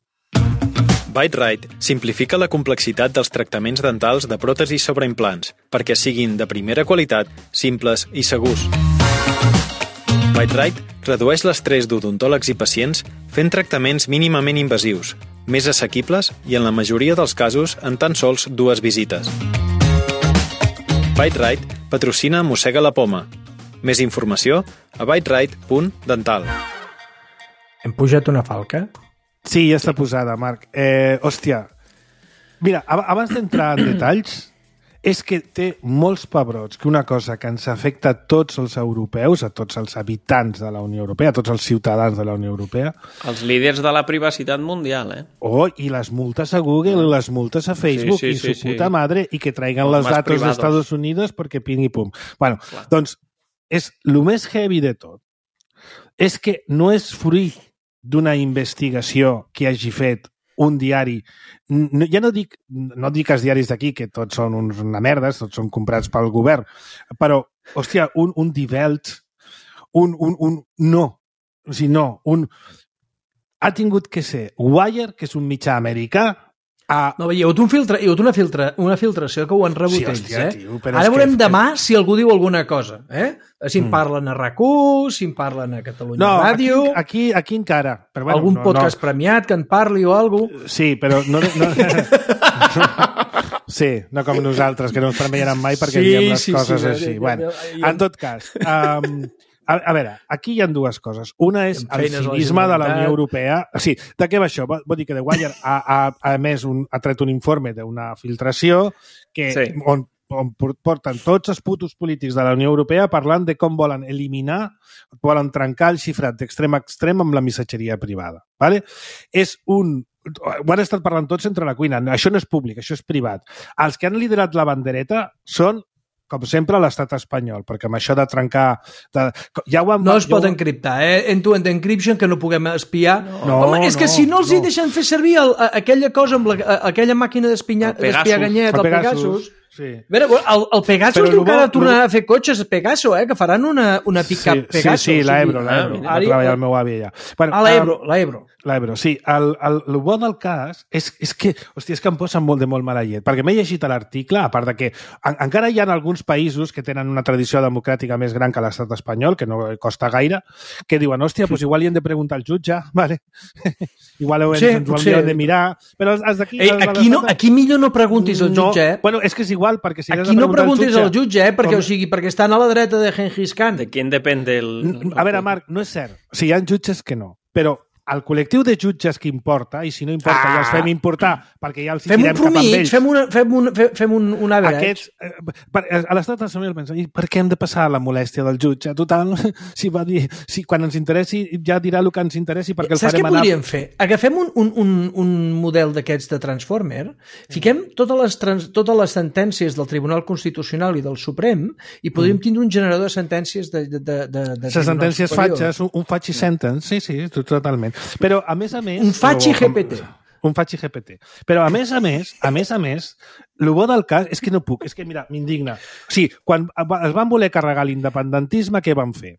Byte-Rite simplifica la complexitat dels tractaments dentals de pròtesis sobre implants perquè siguin de primera qualitat, simples i segurs. Byte-Rite redueix l'estrès d'odontòlegs i pacients fent tractaments mínimament invasius, més assequibles i en la majoria dels casos en tan sols 2 visites. Byte-Rite patrocina Mossega la Poma. Més informació a byterite.dental. Hem pujat una falca? Sí, ja està posada, Marc. Hòstia, mira, abans d'entrar en detalls, és que té molts pebrots que una cosa que ens afecta a tots els europeus, a tots els habitants de la Unió Europea, a tots els ciutadans de la Unió Europea. Els líders de la privacitat mundial, I les multes a Google, les multes a Facebook, i su puta madre, i que traiguen les datos d'Estats Units perquè ping i pum. Bueno, doncs, és el més heavy de tot. És que no és fruit d'una investigació que hagi fet un diari. Ja no dic els diaris d'aquí, que tots són una merda, tots són comprats pel govern, però, hòstia, un Die Welt, ha tingut que ser Wire, que és un mitjà americà. No, hi ha hagut una filtració que ho han rebut ells, Tio, ara veurem demà si algú diu alguna cosa, Si en parlen a RAC1, si en parlen a Catalunya Ràdio... Aquí encara. Però, bueno, algun podcast premiat que en parli o alguna cosa. Sí, però no... Sí, no com nosaltres, que no ens premiaran mai perquè diem les coses així. Bueno, en tot cas... A veure, aquí hi ha 2 coses. Una és el cinisme de la Unió Europea. Sí, de què va això? Vol dir que The Wire ha tret un informe d'una filtració on porten tots els putos polítics de la Unió Europea parlant de com volen eliminar, volen trencar el xifrat d'extrem a extrem amb la missatgeria privada. Vale? Ho han estat parlant tots entre la cuina. Això no és públic, això és privat. Els que han liderat la bandereta són, com sempre, l'estat espanyol, perquè amb això de trencar... No es pot encriptar, end-to-end encryption, que no puguem espiar. Home, és que si no els hi deixen fer servir aquella cosa amb aquella màquina d'espiar ganyet, el Pegasus... Sí. El Pegasus diu que ara tornarà a fer cotxes Pegaso, que faran una pick-up Pegaso. Sí, l'Ebro, va treballar el meu avi allà. L'Ebro, sí. El bo del cas és que, hòstia, és que em posa molt mala llet, perquè m'he llegit l'article, a part de que encara hi ha alguns països que tenen una tradició democràtica més gran que l'estat espanyol, que no costa gaire, que diuen, hòstia, doncs igual hi hem de preguntar al jutge, vale? Igual ho hem de mirar, però els d'aquí... Aquí millor no preguntis al jutge, Bueno, és que és igual, perquè si aquí no preguntis al jutge, perquè estan a la dreta de Genghis Khan. De quién depende el... A veure, Marc, no és cert. O sigui, hi ha jutges que no, però el col·lectiu de jutges que importa, i si no importa ja els fem importar, perquè ja els tirem cap amb ells. Fem un average. A l'estat nacional pensa, i per què hem de passar la molèstia del jutge? Total, si quan ens interessi ja dirà el que ens interessi, perquè el farem anar... Saps què podríem fer? Agafem un model d'aquests de Transformer, fiquem totes les sentències del Tribunal Constitucional i del Suprem i podríem tindre un generador de sentències de les sentències fatxes, un fatxi sentence, sí, totalment. Però, a més, un fatxi GPT. Un fatxi GPT. Però, a més, el bo del cas és que no puc, és que, mira, m'indigna. O sigui, quan es van voler carregar l'independentisme, què van fer?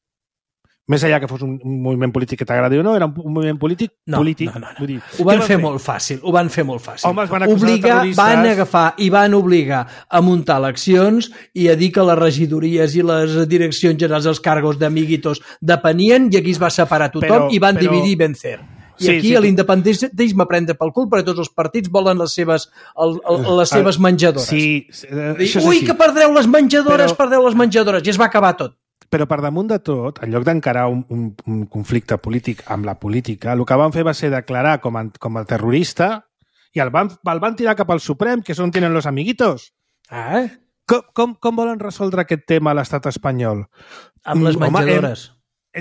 Més enllà que fos un moviment polític que t'agradi o no, era un moviment polític polític. No. Ho van fer molt fàcil. Home, els van acusar de terroristes. Van agafar i van obligar a muntar eleccions i a dir que les regidories i les direccions generals dels cargos d'amiguitos depenien i aquí es va separar tothom i van dividir i vencer. I aquí l'independentisme prendre pel cul perquè tots els partits volen les seves menjadores. Que perdreu les menjadores, i es va acabar tot. Però per damunt de tot, en lloc d'encarar un conflicte polític amb la política, el que van fer va ser declarar com a terrorista i el van tirar cap al Suprem, que és on tenen los amiguitos. Com volen resoldre aquest tema a l'estat espanyol? Amb les menjadores.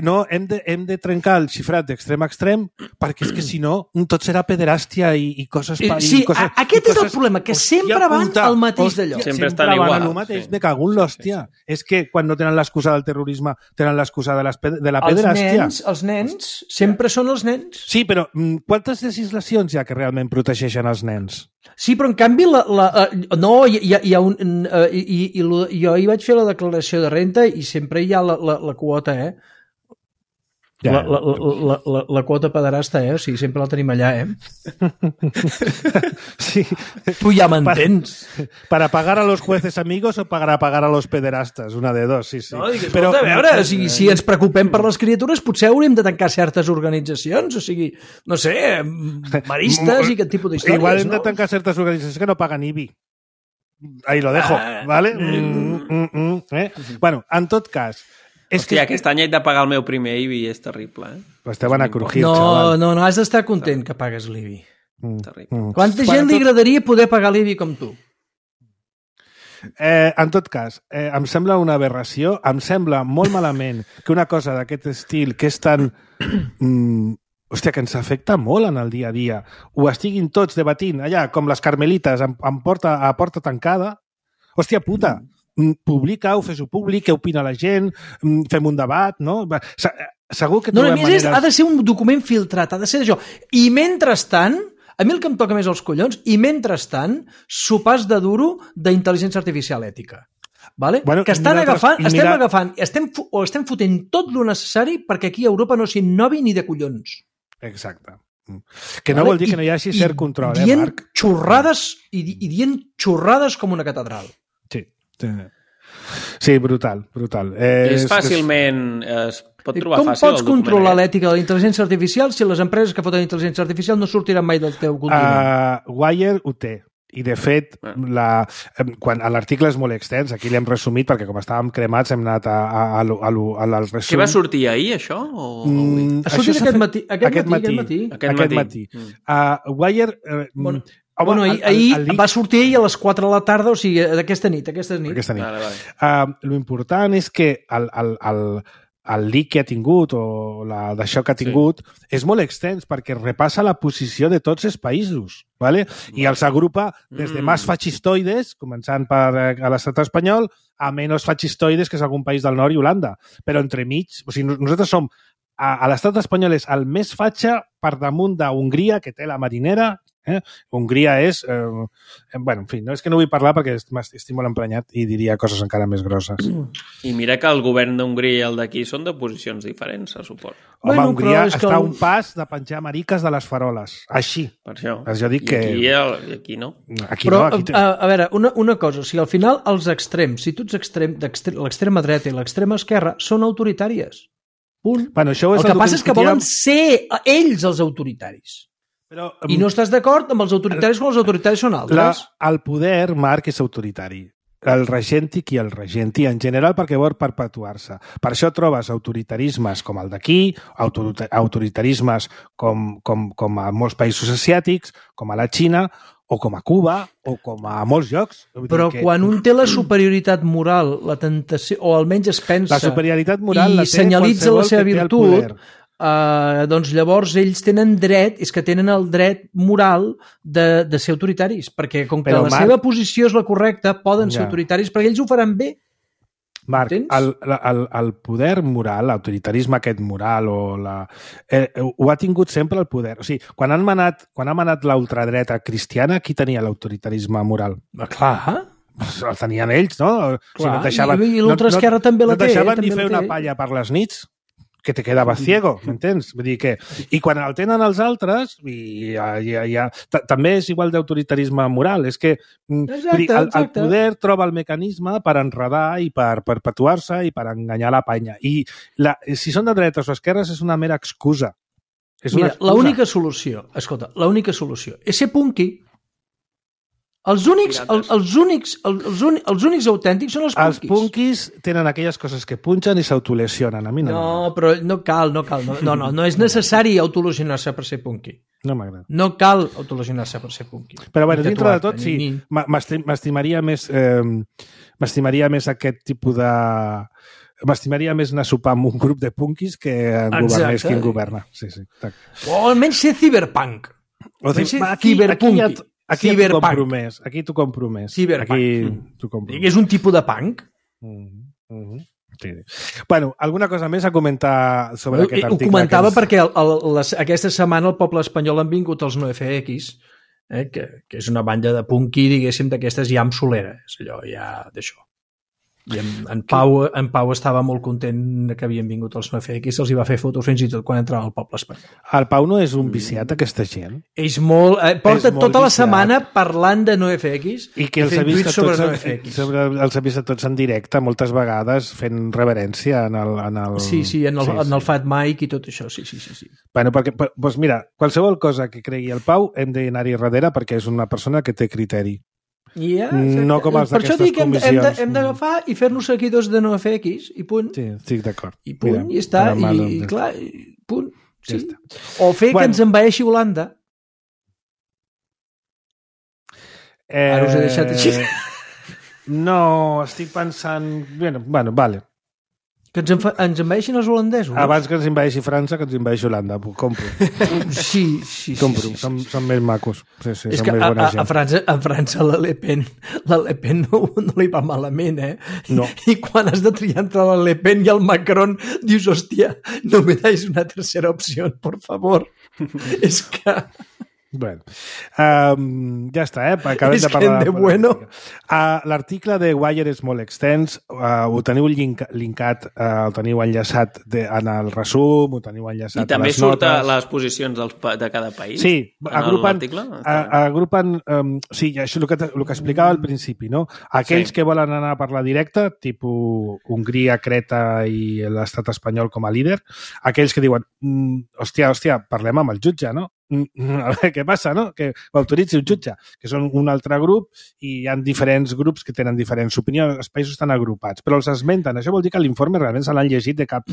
no, hem de trencar el xifrat d'extrem a extrem, perquè és que si no, tot serà pederàstia i coses... Sí, aquest és el problema, que sempre van al mateix d'allò. Sempre estan igual. Van al mateix, me cago en l'hòstia. És que quan no tenen l'excusa del terrorisme, tenen l'excusa de la pederàstia. Els nens, sempre són els nens. Sí, però quantes legislacions hi ha que realment protegeixen els nens? Sí, però en canvi no, hi ha un... Jo hi vaig fer la declaració de renta i sempre hi ha la quota, La quota pederasta, o sigui, sempre la tenim allà, Sí. Tu ja m'entens. Para pagar a los jueces amigos o para pagar a los pederastas, una de dos, sí. No, però, a veure, o sigui, si ens preocupem per les criatures, potser hauríem de tancar certes organitzacions, o sigui, no sé, maristes i aquest tipus d'històries, Igual hem de tancar certes organitzacions que no paguen IBI. Ahí lo dejo, ¿vale? Bueno, en tot cas... Hòstia, aquest any he de pagar el meu primer IBI, és terrible, Pues te van a crujir, chaval. No, has d'estar content que pagues l'IBI. Terrible. Quanta gent li agradaria poder pagar l'IBI com tu? En tot cas, em sembla una aberració, em sembla molt malament que una cosa d'aquest estil, que és tan... Hòstia, que ens afecta molt en el dia a dia, ho estiguin tots debatint allà, com les carmelites, a porta tancada. Hòstia puta, publica-ho, fes-ho públic, què opina la gent, fem un debat, no? Segur que trobem maneres... Ha de ser un document filtrat, ha de ser això. I mentrestant, a mi el que em toca més els collons, i mentrestant, sopars de duro d'intel·ligència artificial ètica. Vale? Bueno, que estem fotent tot lo necessari perquè aquí a Europa no s'innovi ni de collons. Exacte. Que no vol dir que no hi hagi cert control, Marc? Xorrades, i dient xorrades com una catedral. Sí, brutal. És fàcilment... Es pot trobar fàcil el document. Com pots controlar l'ètica de la intel·ligència artificial si les empreses que foten intel·ligència artificial no sortiran mai del teu continent? Wire ho té. I, de fet, quan l'article és molt extens, aquí l'hem resumit perquè com estàvem cremats hem anat al resum. Què va sortir ahir, això? Ha sortit aquest matí. Wire... ahir va sortir a les 4 de la tarda, o sigui, d'aquesta nit. L'important és que el leak que ha tingut o d'això que ha tingut és molt extens perquè repassa la posició de tots els països, ¿vale? I els agrupa des de més fascistoides, començant per l'estat espanyol, a menys fascistoides, que és algun país del nord i Holanda. Però entremig, o sigui, nosaltres som a l'estat espanyol és el més fatxa per damunt d'Hongria, que té la marinera. Hongria és... en fi, no és que no vull parlar perquè estic molt emprenyat i diria coses encara més grosses. I mira que el govern d'Hongria i el d'aquí són de posicions diferents, se suposa. Home, Hongria està a un pas de penjar mariques de les faroles. Així. Per això. Jo dic que... I aquí no. Però, a veure, una cosa, o sigui, al final els extrems, si tu ets l'extrema dreta i l'extrema esquerra, són autoritàries. Punt. Bueno, el que passa és que volen ser ells els autoritaris. Però, I no estàs d'acord amb els autoritaris quan els autoritaris són altres? El poder, Marc, és autoritari. El regèntic i el regenti, en general, perquè vol perpetuar-se. Per això trobes autoritarismes com el d'aquí, autoritarismes com a molts països asiàtics, com a la Xina, o com a Cuba, o com a molts llocs. Però quan un té la superioritat moral, la tentació, o almenys es pensa... La superioritat moral i senyalitza la seva virtut... doncs llavors ells tenen dret, és que tenen el dret moral de ser autoritaris, perquè com que seva posició és la correcta, poden ser autoritaris, perquè ells ho faran bé. Marc, el poder moral, l'autoritarisme aquest moral, ho ha tingut sempre el poder. O sigui, quan ha manat l'ultradreta cristiana, qui tenia l'autoritarisme moral? Clar. El tenien ells, no? I l'ultraesquerra també la té. No deixaven ni fer una palla per les nits, que te quedava ciego, m'entens? Vull dir que... I quan el tenen els altres, també és igual d'autoritarisme moral. És que el poder troba el mecanisme per enredar i per perpetuar-se i per enganyar la panya. I si són de dretes o esquerres és una mera excusa. Mira, l'única solució és ser punky. Els únics autèntics són els punkis. Els punkis tenen aquelles coses que punxen i s'autolesionen. A mi no, però no cal. No és necessari autolesionar-se per ser punky. No m'agrada. No cal autolesionar-se per ser punky. Però bueno, dintre de tot, sí, m'estimaria més aquest tipus m'estimaria més anar a sopar amb un grup de punkis que en governés qui en governa. Sí. O almenys ser ciberpunk. Aquí t'ho compro més. Ciberpunk. És un tipus de punk? Sí. Bueno, alguna cosa més a comentar sobre aquest article? Ho comentava perquè aquesta setmana al poble espanyol han vingut els NoFX, que és una banda de punky, diguéssim, d'aquestes ja amb solera. És allò ja d'això. I en Pau estava molt content que havien vingut els NoFX, se'ls hi va fer fotos fins i tot quan entrava al poble espanyol. El Pau no és un viciat, aquesta gent? És molt... porta tota la setmana parlant de NoFX i que els ha vist tots en directe moltes vegades fent reverència en el... Sí, en el Fat Mike i tot això, sí. Bueno, perquè, doncs mira, qualsevol cosa que cregui el Pau hem d'anar-hi darrere perquè és una persona que té criteri. No com els d'aquestes comissions. Per això dic que hem d'agafar i fer-nos seguidors de NoFX i punt. Sí, estic d'acord. I punt, i està. I clar, punt. Sí. O fer que ens envaeixi Holanda. Ara us he deixat així. No, estic pensant... Bueno, vale. Que ens envaeixin els holandesos? Abans que ens envaeixi França, que ens envaeixi Holanda. Compro. Sí. Compro. Són més macos. Sí, és que a França la Le Pen no li va malament, No. I quan has de triar entre la Le Pen i el Macron, dius, hòstia, no me dais una tercera opció, por favor. És que... Bueno, ja està, acabem de parlar. L'article de Wire és molt extens, ho teniu linkat, ho teniu enllaçat en el resum, ho teniu enllaçat a les notes. I també surten les posicions de cada país? Sí, agrupen sí, això és el que explicava al principi, no? Aquells que volen anar per la directa, tipus Hongria, Creta i l'estat espanyol com a líder, aquells que diuen, hòstia, parlem amb el jutge, no? A veure què passa, no? Que ho autoritzi un jutge, que són un altre grup i hi ha diferents grups que tenen diferents opinions, els països estan agrupats, però els esmenten. Això vol dir que l'informe realment se l'han llegit de cap...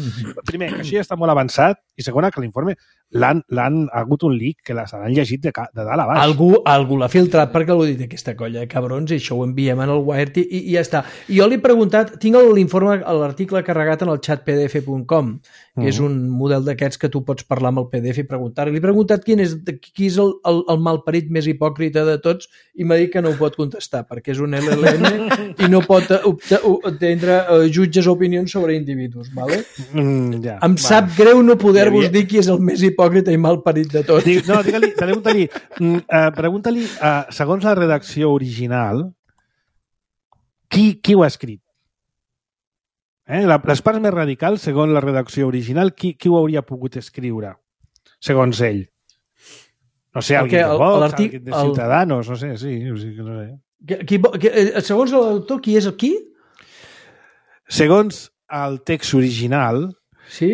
Primer, que això ja està molt avançat, i segona, que l'informe l'han hagut un leak que se l'han llegit de dalt a baix. Algú l'ha filtrat perquè l'ho dit aquesta colla de cabrons i això ho enviem en el Wired i ja està. I jo li he preguntat, tinc l'informe, l'article carregat en el chatpdf.com, que és un model d'aquests que tu pots parlar amb el PDF i preguntar-li. Li he preguntat qui és el malparit més hipòcrita de tots i m'ha dit que no ho pot contestar perquè és un LLM i no pot entendre jutges o opinions sobre individus, ¿vale? Em sap greu no poder-vos dir qui és el més hipòcrita i malparit de tots. No, pregunta-li, segons la redacció original, qui ho ha escrit? Les parts més radicals, segons la redacció original, qui ho hauria pogut escriure? Segons ell. No sé, algú de Vox, algú de Ciutadanos, no sé, sí, no sé. Segons l'autor, qui és el qui? Segons el text original, sí?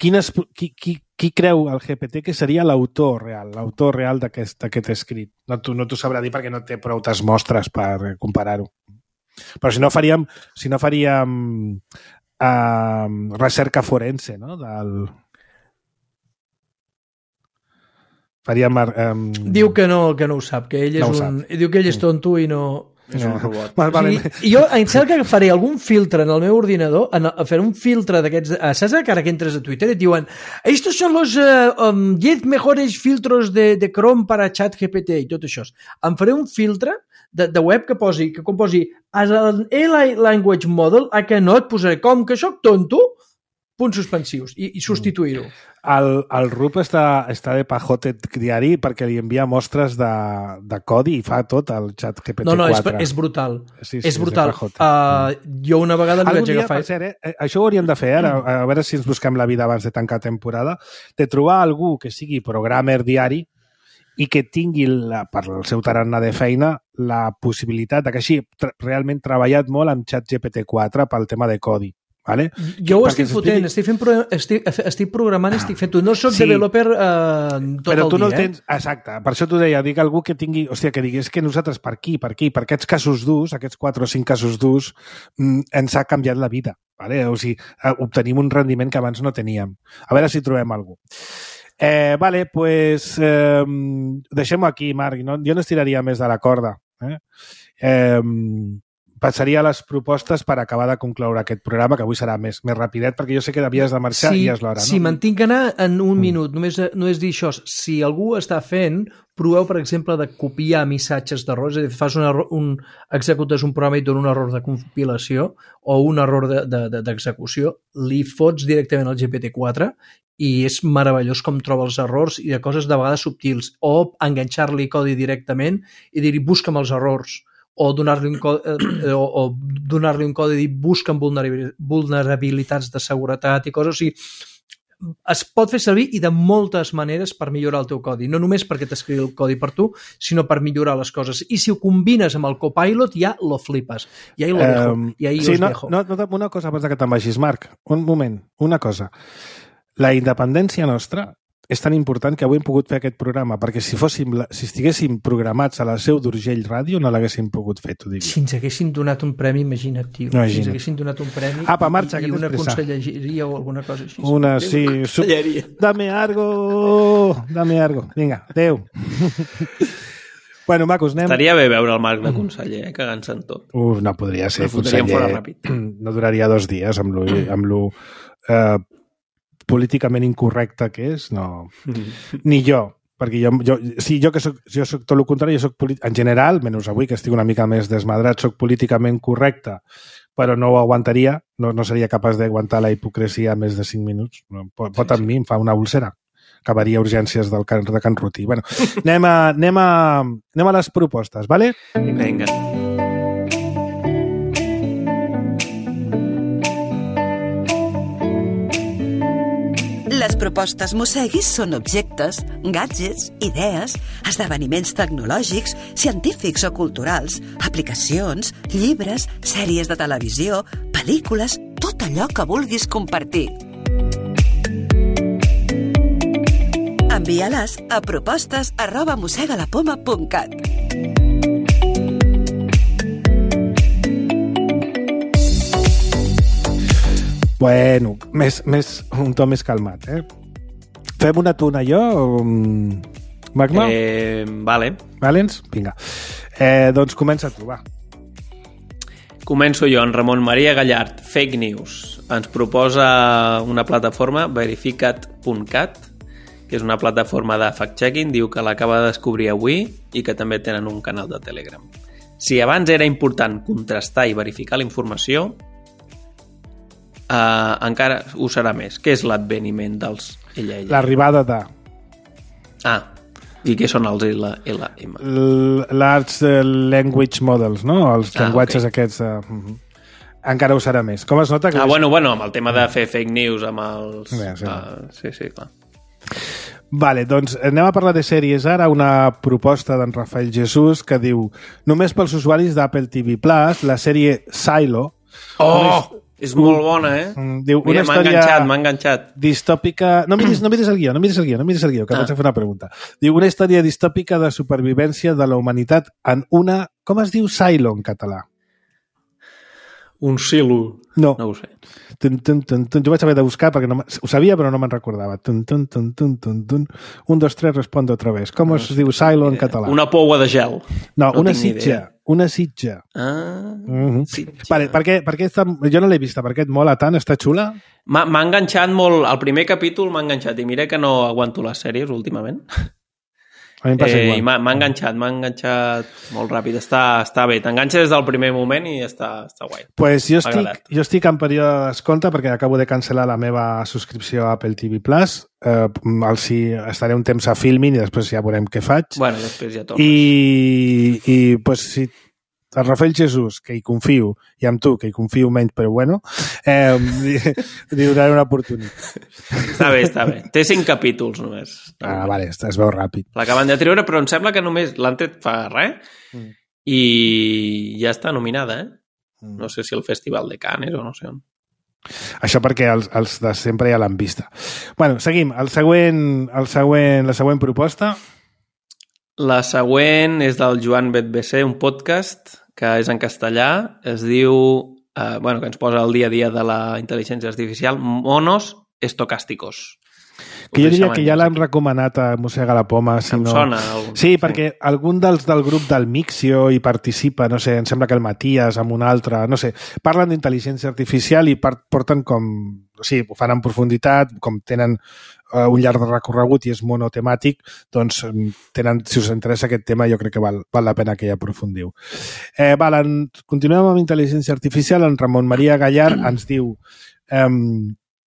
Qui creu el GPT que seria l'autor real d'aquest escrit? No t'ho sabrà dir perquè no té prou mostres per comparar-ho. Però si no faríem recerca forense, no? Diu que no ho sap, que ell diu que ell és tonto i no... És un robot. Jo em sembla que faré algun filtre en el meu ordinador, fer un filtre d'aquests... Saps que ara que entres a Twitter et diuen estos son los 10 mejores filtros de Chrome para ChatGPT i tot això. Em faré un filtre de web que composi as an AI language model, a que no et posaré com que soc tonto, punts suspensius, i substituir-ho. El Rup està de pajote diari perquè li envia mostres de codi i fa tot el xat GPT-4. No, és brutal. Sí, és brutal. Jo una vegada li vaig agafar... Això ho hauríem de fer ara, a veure si ens busquem la vida abans de tancar temporada, de trobar algú que sigui programmer diari i que tingui, per el seu tarannà de feina, la possibilitat que així realment treballat molt amb xat GPT-4 pel tema de codi. Vale? Jo ho estic fotent, estic programant, estic fent-ho. No soc developer tot el dia. Però tu no el tens... Exacte, per això t'ho deia, dic algú que tingui... Hòstia, que digués que nosaltres per aquests casos durs, aquests 4 o 5 casos durs, ens ha canviat la vida. Vale? O sigui, obtenim un rendiment que abans no teníem. A veure si trobem algú. Vale, pues deixem-ho aquí, Marc. Jo no estiraria més de la corda. passaria a les propostes per acabar de concloure aquest programa, que avui serà més rapidet, perquè jo sé que havies de marxar i és l'hora, no? Si me'n tinc que anar en un minut, només dir això. Si algú està fent, proveu, per exemple, de copiar missatges d'errors, és a dir, executes un programa i et dona un error de compilació o un error d'execució, li fots directament al GPT-4 i és meravellós com troba els errors i de coses de vegades subtils, o enganxar-li codi directament i dir-hi busca'm els errors, o donar-li un codi i dir busca'm vulnerabilitats de seguretat i coses. O sigui, es pot fer servir i de moltes maneres per millorar el teu codi, no només perquè t'escrigui el codi per tu, sinó per millorar les coses. I si ho combines amb el Copilot, ja lo flipes. I ahí lo dejo. I ahí sí, os dejo. Una cosa abans que te'n vagis, Marc. Un moment, una cosa. La independència nostra és tan important que avui hem pogut fer aquest programa, perquè si estiguéssim programats a la seu d'Urgell Ràdio no l'haguéssim pogut fer, t'ho diria. Si ens haguessin donat un premi, imagina't, tio. Si ens haguessin donat un premi marxa, i una conselleria o alguna cosa així. Dame algo. Vinga, adéu. Bueno, macos, anem... Estaria bé veure el Marc de conseller, cagant-se en tot. No podria ser conseller. Fora ràpid. No duraria 2 dies amb lo políticament incorrecte que és, no. Ni jo, perquè jo soc tot el contrari, en general, menys avui que estic una mica més desmadrat, soc políticament correcte, però no ho aguantaria, no seria capaç d'aguantar la hipocresia més de 5 minuts. Pot amb mi, em fa una úlcera. Acabaria urgències de Can Ruti. Bueno, anem a les propostes, vale? Vinga. Les propostes Mosseguis són objectes, gadgets, idees, esdeveniments tecnològics, científics o culturals, aplicacions, llibres, sèries de televisió, pel·lícules, tot allò que vulguis compartir. Envia-les a propostes@mossegalapoma.cat. Bueno, un to més calmat, Fem una tu, una jo? Magma? Vale. Valents? Vinga. Doncs comença tu, va. Començo jo, en Ramon Maria Gallard, Fake News. Ens proposa una plataforma, verificat.cat, que és una plataforma de fact-checking, diu que l'acaba de descobrir avui i que també tenen un canal de Telegram. Si abans era important contrastar i verificar la informació, encara ho serà més. Què és l'adveniment dels ella? L'arribada de... I què són els LLM? Large Language Models, no? Els llenguatges aquests... Encara ho serà més. Com es nota que... Bueno, amb el tema de fer fake news, amb els... Sí, clar. Vale, doncs anem a parlar de sèries ara. Una proposta d'en Rafael Jesús que diu: només pels usuaris d'Apple TV Plus, la sèrie Silo... És molt bona, Diu, mira, m'ha enganxat. Distòpica... No miris el guió, que vaig a fer una pregunta. Diu, una història distòpica de supervivència de la humanitat en una... Com es diu Silo en català? Un silo. No ho sé. Jo vaig haver de buscar perquè ho sabia però no me'n recordava. 1, 2, 3, respondo otra vez. Com es diu Silo en català? Una poua de gel. No, una sitja. Una sitja. Sitja. Vale, per què jo no l'he vista, per què et mola tant? Està xula? M'ha enganxat molt. El primer capítol m'ha enganxat i mira que no aguanto les sèries últimament. A mi em passa igual. I m'ha enganxat molt ràpid. Està bé, t'enganxa des del primer moment i està guai. Pues jo estic en període de descompte perquè acabo de cancel·lar la meva subscripció a Apple TV Plus. Estaré un temps a Filmin i després ja veurem què faig. Bueno, després ja tornes. I pues, si el Rafael Jesús, que hi confio, i amb tu, que hi confio menys, però bueno, li donaré una oportunitat. Està bé. Té 5 capítols només. Vale, es veu ràpid. L'acaben de treure, però em sembla que només l'han tret fa res i ja està nominada, No sé si el Festival de Cannes o no sé on. Això perquè els de sempre ja l'han vista. Bueno, seguim. La següent proposta. La següent és del Joan Betbc, un podcast que és en castellà, es diu, que ens posa el dia a dia de la intel·ligència artificial, Monos Estocásticos. Que jo diria que ja l'hem recomanat a Mossega la Poma. Si no... sona. Sí, perquè algun dels del grup del Mixio hi participa, no sé, em sembla que el Matías amb un altre, no sé, parlen d'intel·ligència artificial i porten com... O sigui, ho fan en profunditat, com tenen un llarg recorregut i és monotemàtic, doncs tenen, si us interessa aquest tema, jo crec que val la pena que hi aprofundiu. Continuem amb intel·ligència artificial. En Ramon Maria Gallard ens diu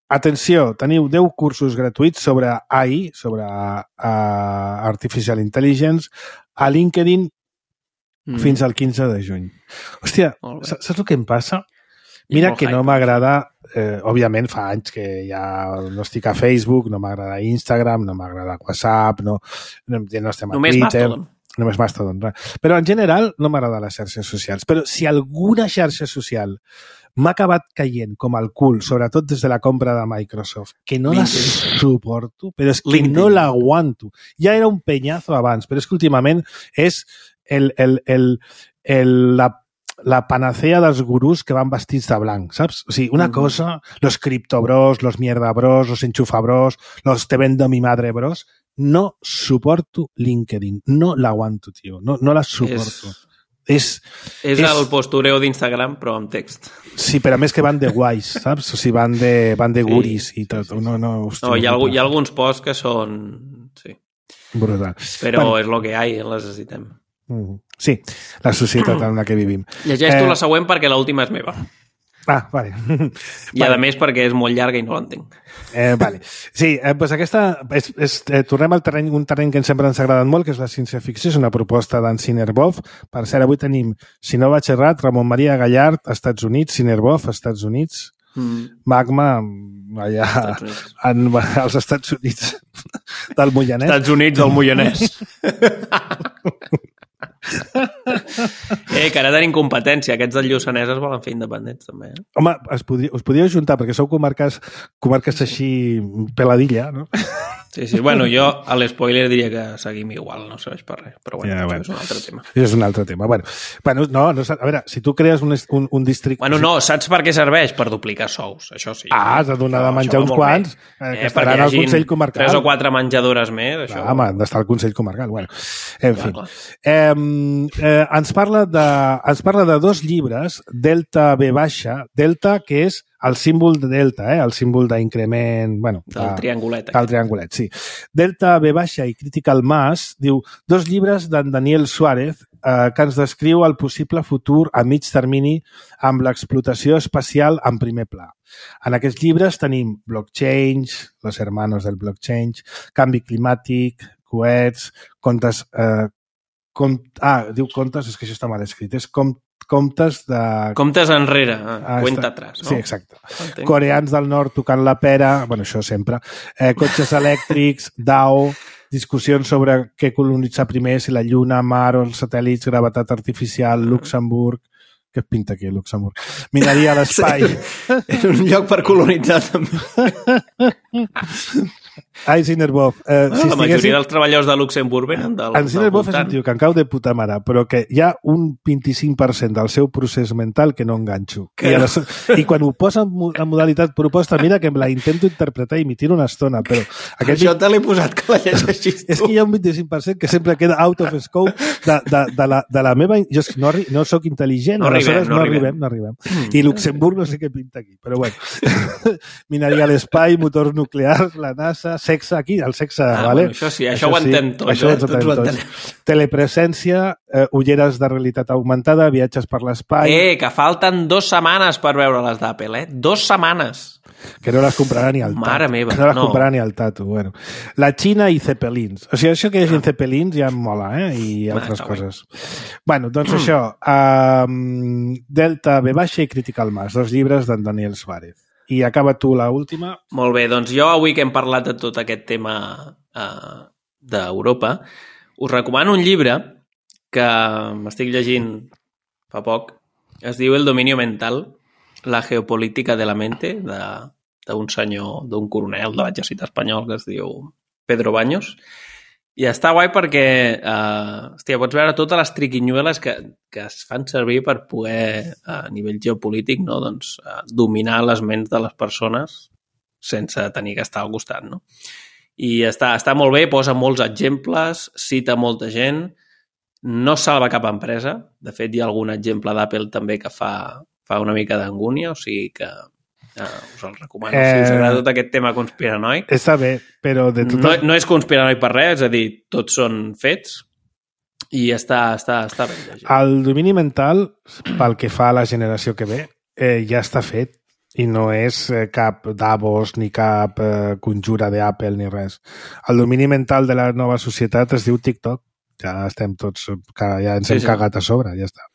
atenció, teniu 10 cursos gratuïts sobre AI, sobre Artificial Intelligence, a LinkedIn fins al 15 de juny. Hòstia, saps el que em passa? Mira que no m'agrada, òbviament fa anys que ja no estic a Facebook, no m'agrada Instagram, no m'agrada WhatsApp, no estem a només Twitter. Mastodon. Només Mastodon. Però en general no m'agrada les xarxes socials. Però si alguna xarxa social m'ha acabat caient com el cul, sobretot des de la compra de Microsoft, que no la suporto, però és que no l'aguanto. Ja era un penyazo abans, però és que últimament és la panacea dels gurús que van vestits de blanc, saps? O sigui, una cosa, los criptobros, los mierdabros, los enchufabros, los te vendo mi madre bros, no suporto LinkedIn, no l'aguanto, tio, no la suporto. És el postureo d'Instagram, però amb text. Sí, però a més que van de guais, saps? O sigui, van de guris i tot. Sí. No, hi ha alguns posts que són... Sí. Brutal. Però és el que hi ha, les necessitem. Sí, la societat en la que vivim. Llegeix tu la següent perquè l'última és meva. Vale. I a més perquè és molt llarga i no l'entenc. Vale. Sí, doncs aquesta... tornem al terreny, un terreny que sempre ens ha agradat molt, que és la ciència-ficció, és una proposta d'en Cinerbov. Per cert, avui tenim, si no vaig errat, Ramon Maria Gallard, Estats Units, Cinerbov, Estats Units, Magma, allà als Estats Units del Moianès. Estats Units del Moianès. Que ara tenim competència. Aquests del Lluçanès es volen fer independents, també. Home, us podíeu juntar, perquè sou comarques així peladilla, no? Sí. Bueno, jo a l'espoiler diria que seguim igual, no serveix per res. Però bueno, això és un altre tema. És un altre tema. Bueno, no, a veure, si tu crees un districte... Bueno, no, saps per què serveix? Per duplicar sous, això sí. Has de donar de menjar uns quants que estaran al Consell Comarcal. 3 o 4 menjadores més, això... Home, han d'estar al Consell Comarcal. Bueno, en fi. Ens parla de 2 llibres, Delta V baixa, Delta, que és el símbol de Delta, el símbol d'increment... Bueno, del triangulet. El triangulet, sí. Delta V baixa i Critical Mass, diu, 2 llibres d'en Daniel Suárez que ens descriu el possible futur a mig termini amb l'explotació espacial en primer pla. En aquests llibres tenim blockchain, los hermanos del blockchain, canvi climàtic, coets, contes... diu contes, és que això està mal escrit, és comptes de... Comptes enrere, cuenta atrás, no? Sí, exacte. Coreans del nord tocant la pera, bueno, això sempre, cotxes elèctrics, DAO, discussions sobre què colonitzar primer, si la Lluna, Mar o els satèl·lits, gravetat artificial, Luxemburg... Què pinta aquí, Luxemburg? Mineria a l'espai. És un lloc per colonitzar, també. Ai, Cinerbov. La majoria dels treballadors de Luxemburg venen del voltant. En Cinerbov és un tio que em cau de puta mare, però que hi ha un 25% del seu procés mental que no enganxo. I quan ho posa en modalitat proposta, mira que la intento interpretar i m'hi tiro una estona, però... Això te l'he posat que la llegeixis tu. És que hi ha un 25% que sempre queda out of scope de la meva... Jo no soc intel·ligent, no arribem. I Luxemburg no sé què pinta aquí, però bueno. Mineria a l'espai, motors nuclears, la NASA, sexe aquí, el sexe, vale? Bueno, això sí, això ho entenc tot. Això ho entenc tots. Telepresència, ulleres de realitat augmentada, viatges per l'espai... Que falten 2 setmanes per veure les d'Apple, 2 setmanes! Que no les comprarà ni al Tato. Mare meva, no les comprarà ni al Tato. Bueno. La Xina i Zeppelins. O sigui, això que hi hagi Zeppelins ja em mola, i altres coses. Bueno, doncs això. Delta V baixa i Critical Mass, 2 llibres d'en Daniel Suárez. I acaba tu l'última. Molt bé, doncs jo avui que hem parlat de tot aquest tema d'Europa, us recomano un llibre que m'estic llegint fa poc. Es diu El dominio mental, la geopolítica de la mente, d'un senyor, d'un coronel de l'exèrcit espanyol que es diu Pedro Baños. I està guai perquè pots veure totes les triquinyueles que es fan servir per poder, a nivell geopolític, no? Dominar les ments de les persones sense tenir que estar al costat. No? I està molt bé, posa molts exemples, cita molta gent, no salva cap empresa. De fet, hi ha algun exemple d'Apple també que fa una mica d'angúnia, o sigui que us el recomano. Si us agrada tot aquest tema conspiranoic. Està bé, però de tot... No és conspiranoic per res, és a dir, tots són fets i està bé llegit. El domini mental, pel que fa a la generació que ve, ja està fet. I no és cap Davos ni cap conjura d'Apple ni res. El domini mental de la nova societat es diu TikTok. Ja estem tots, ja ens hem cagat a sobre, ja està.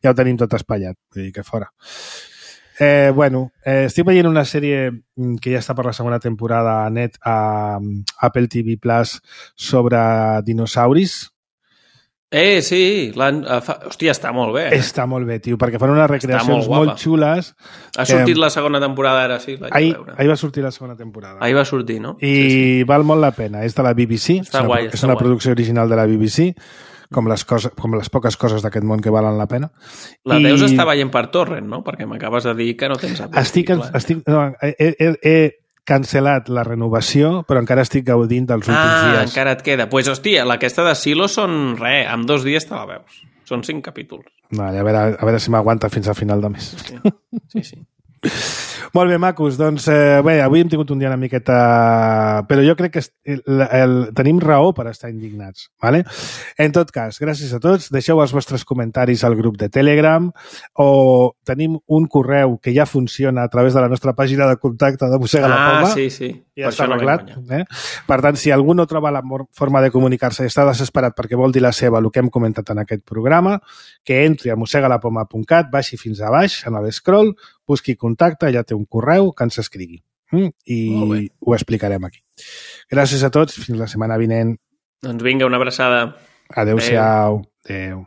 Ja ho tenim tot espatllat, vull dir que fora. Estic veient una sèrie que ja està per la segona temporada a Apple TV Plus sobre dinosauris. Sí, hòstia, està molt bé. Està molt bé, tio, perquè fan unes recreacions molt xules. Ha sortit la segona temporada ara, sí? Ahir va sortir la segona temporada. Ahir va sortir, no? I val molt la pena. És de la BBC. Està guai. És una producció original de la BBC, com les poques coses d'aquest món que valen la pena. La deus estar veient per torrent, no? Perquè m'acabes de dir que no tens he cancel·lat la renovació, però encara estic gaudint dels últims dies. Encara et queda. Doncs, pues, hòstia, aquesta de Silo són en 2 dies te la veus. Són 5 capítols. Vale, a veure si m'aguanta fins al final de mes. Sí. Molt bé, macos. Doncs avui hem tingut un dia una miqueta... Però jo crec que tenim raó per estar indignats. ¿Vale? En tot cas, gràcies a tots. Deixeu els vostres comentaris al grup de Telegram o tenim un correu que ja funciona a través de la nostra pàgina de contacte de Mossega la Poma. Sí. Ja està arreglat. Per tant, si algú no troba la forma de comunicar-se i està desesperat perquè vol dir la seva, el que hem comentat en aquest programa, que entri a mossegalapoma.cat, baixi fins a baix, en l'escroll, busqui contacte, allà té un correu que ens escrigui. I ho explicarem aquí. Gràcies a tots, fins la setmana vinent. Doncs vinga, una abraçada. Adéu-siau. Adéu.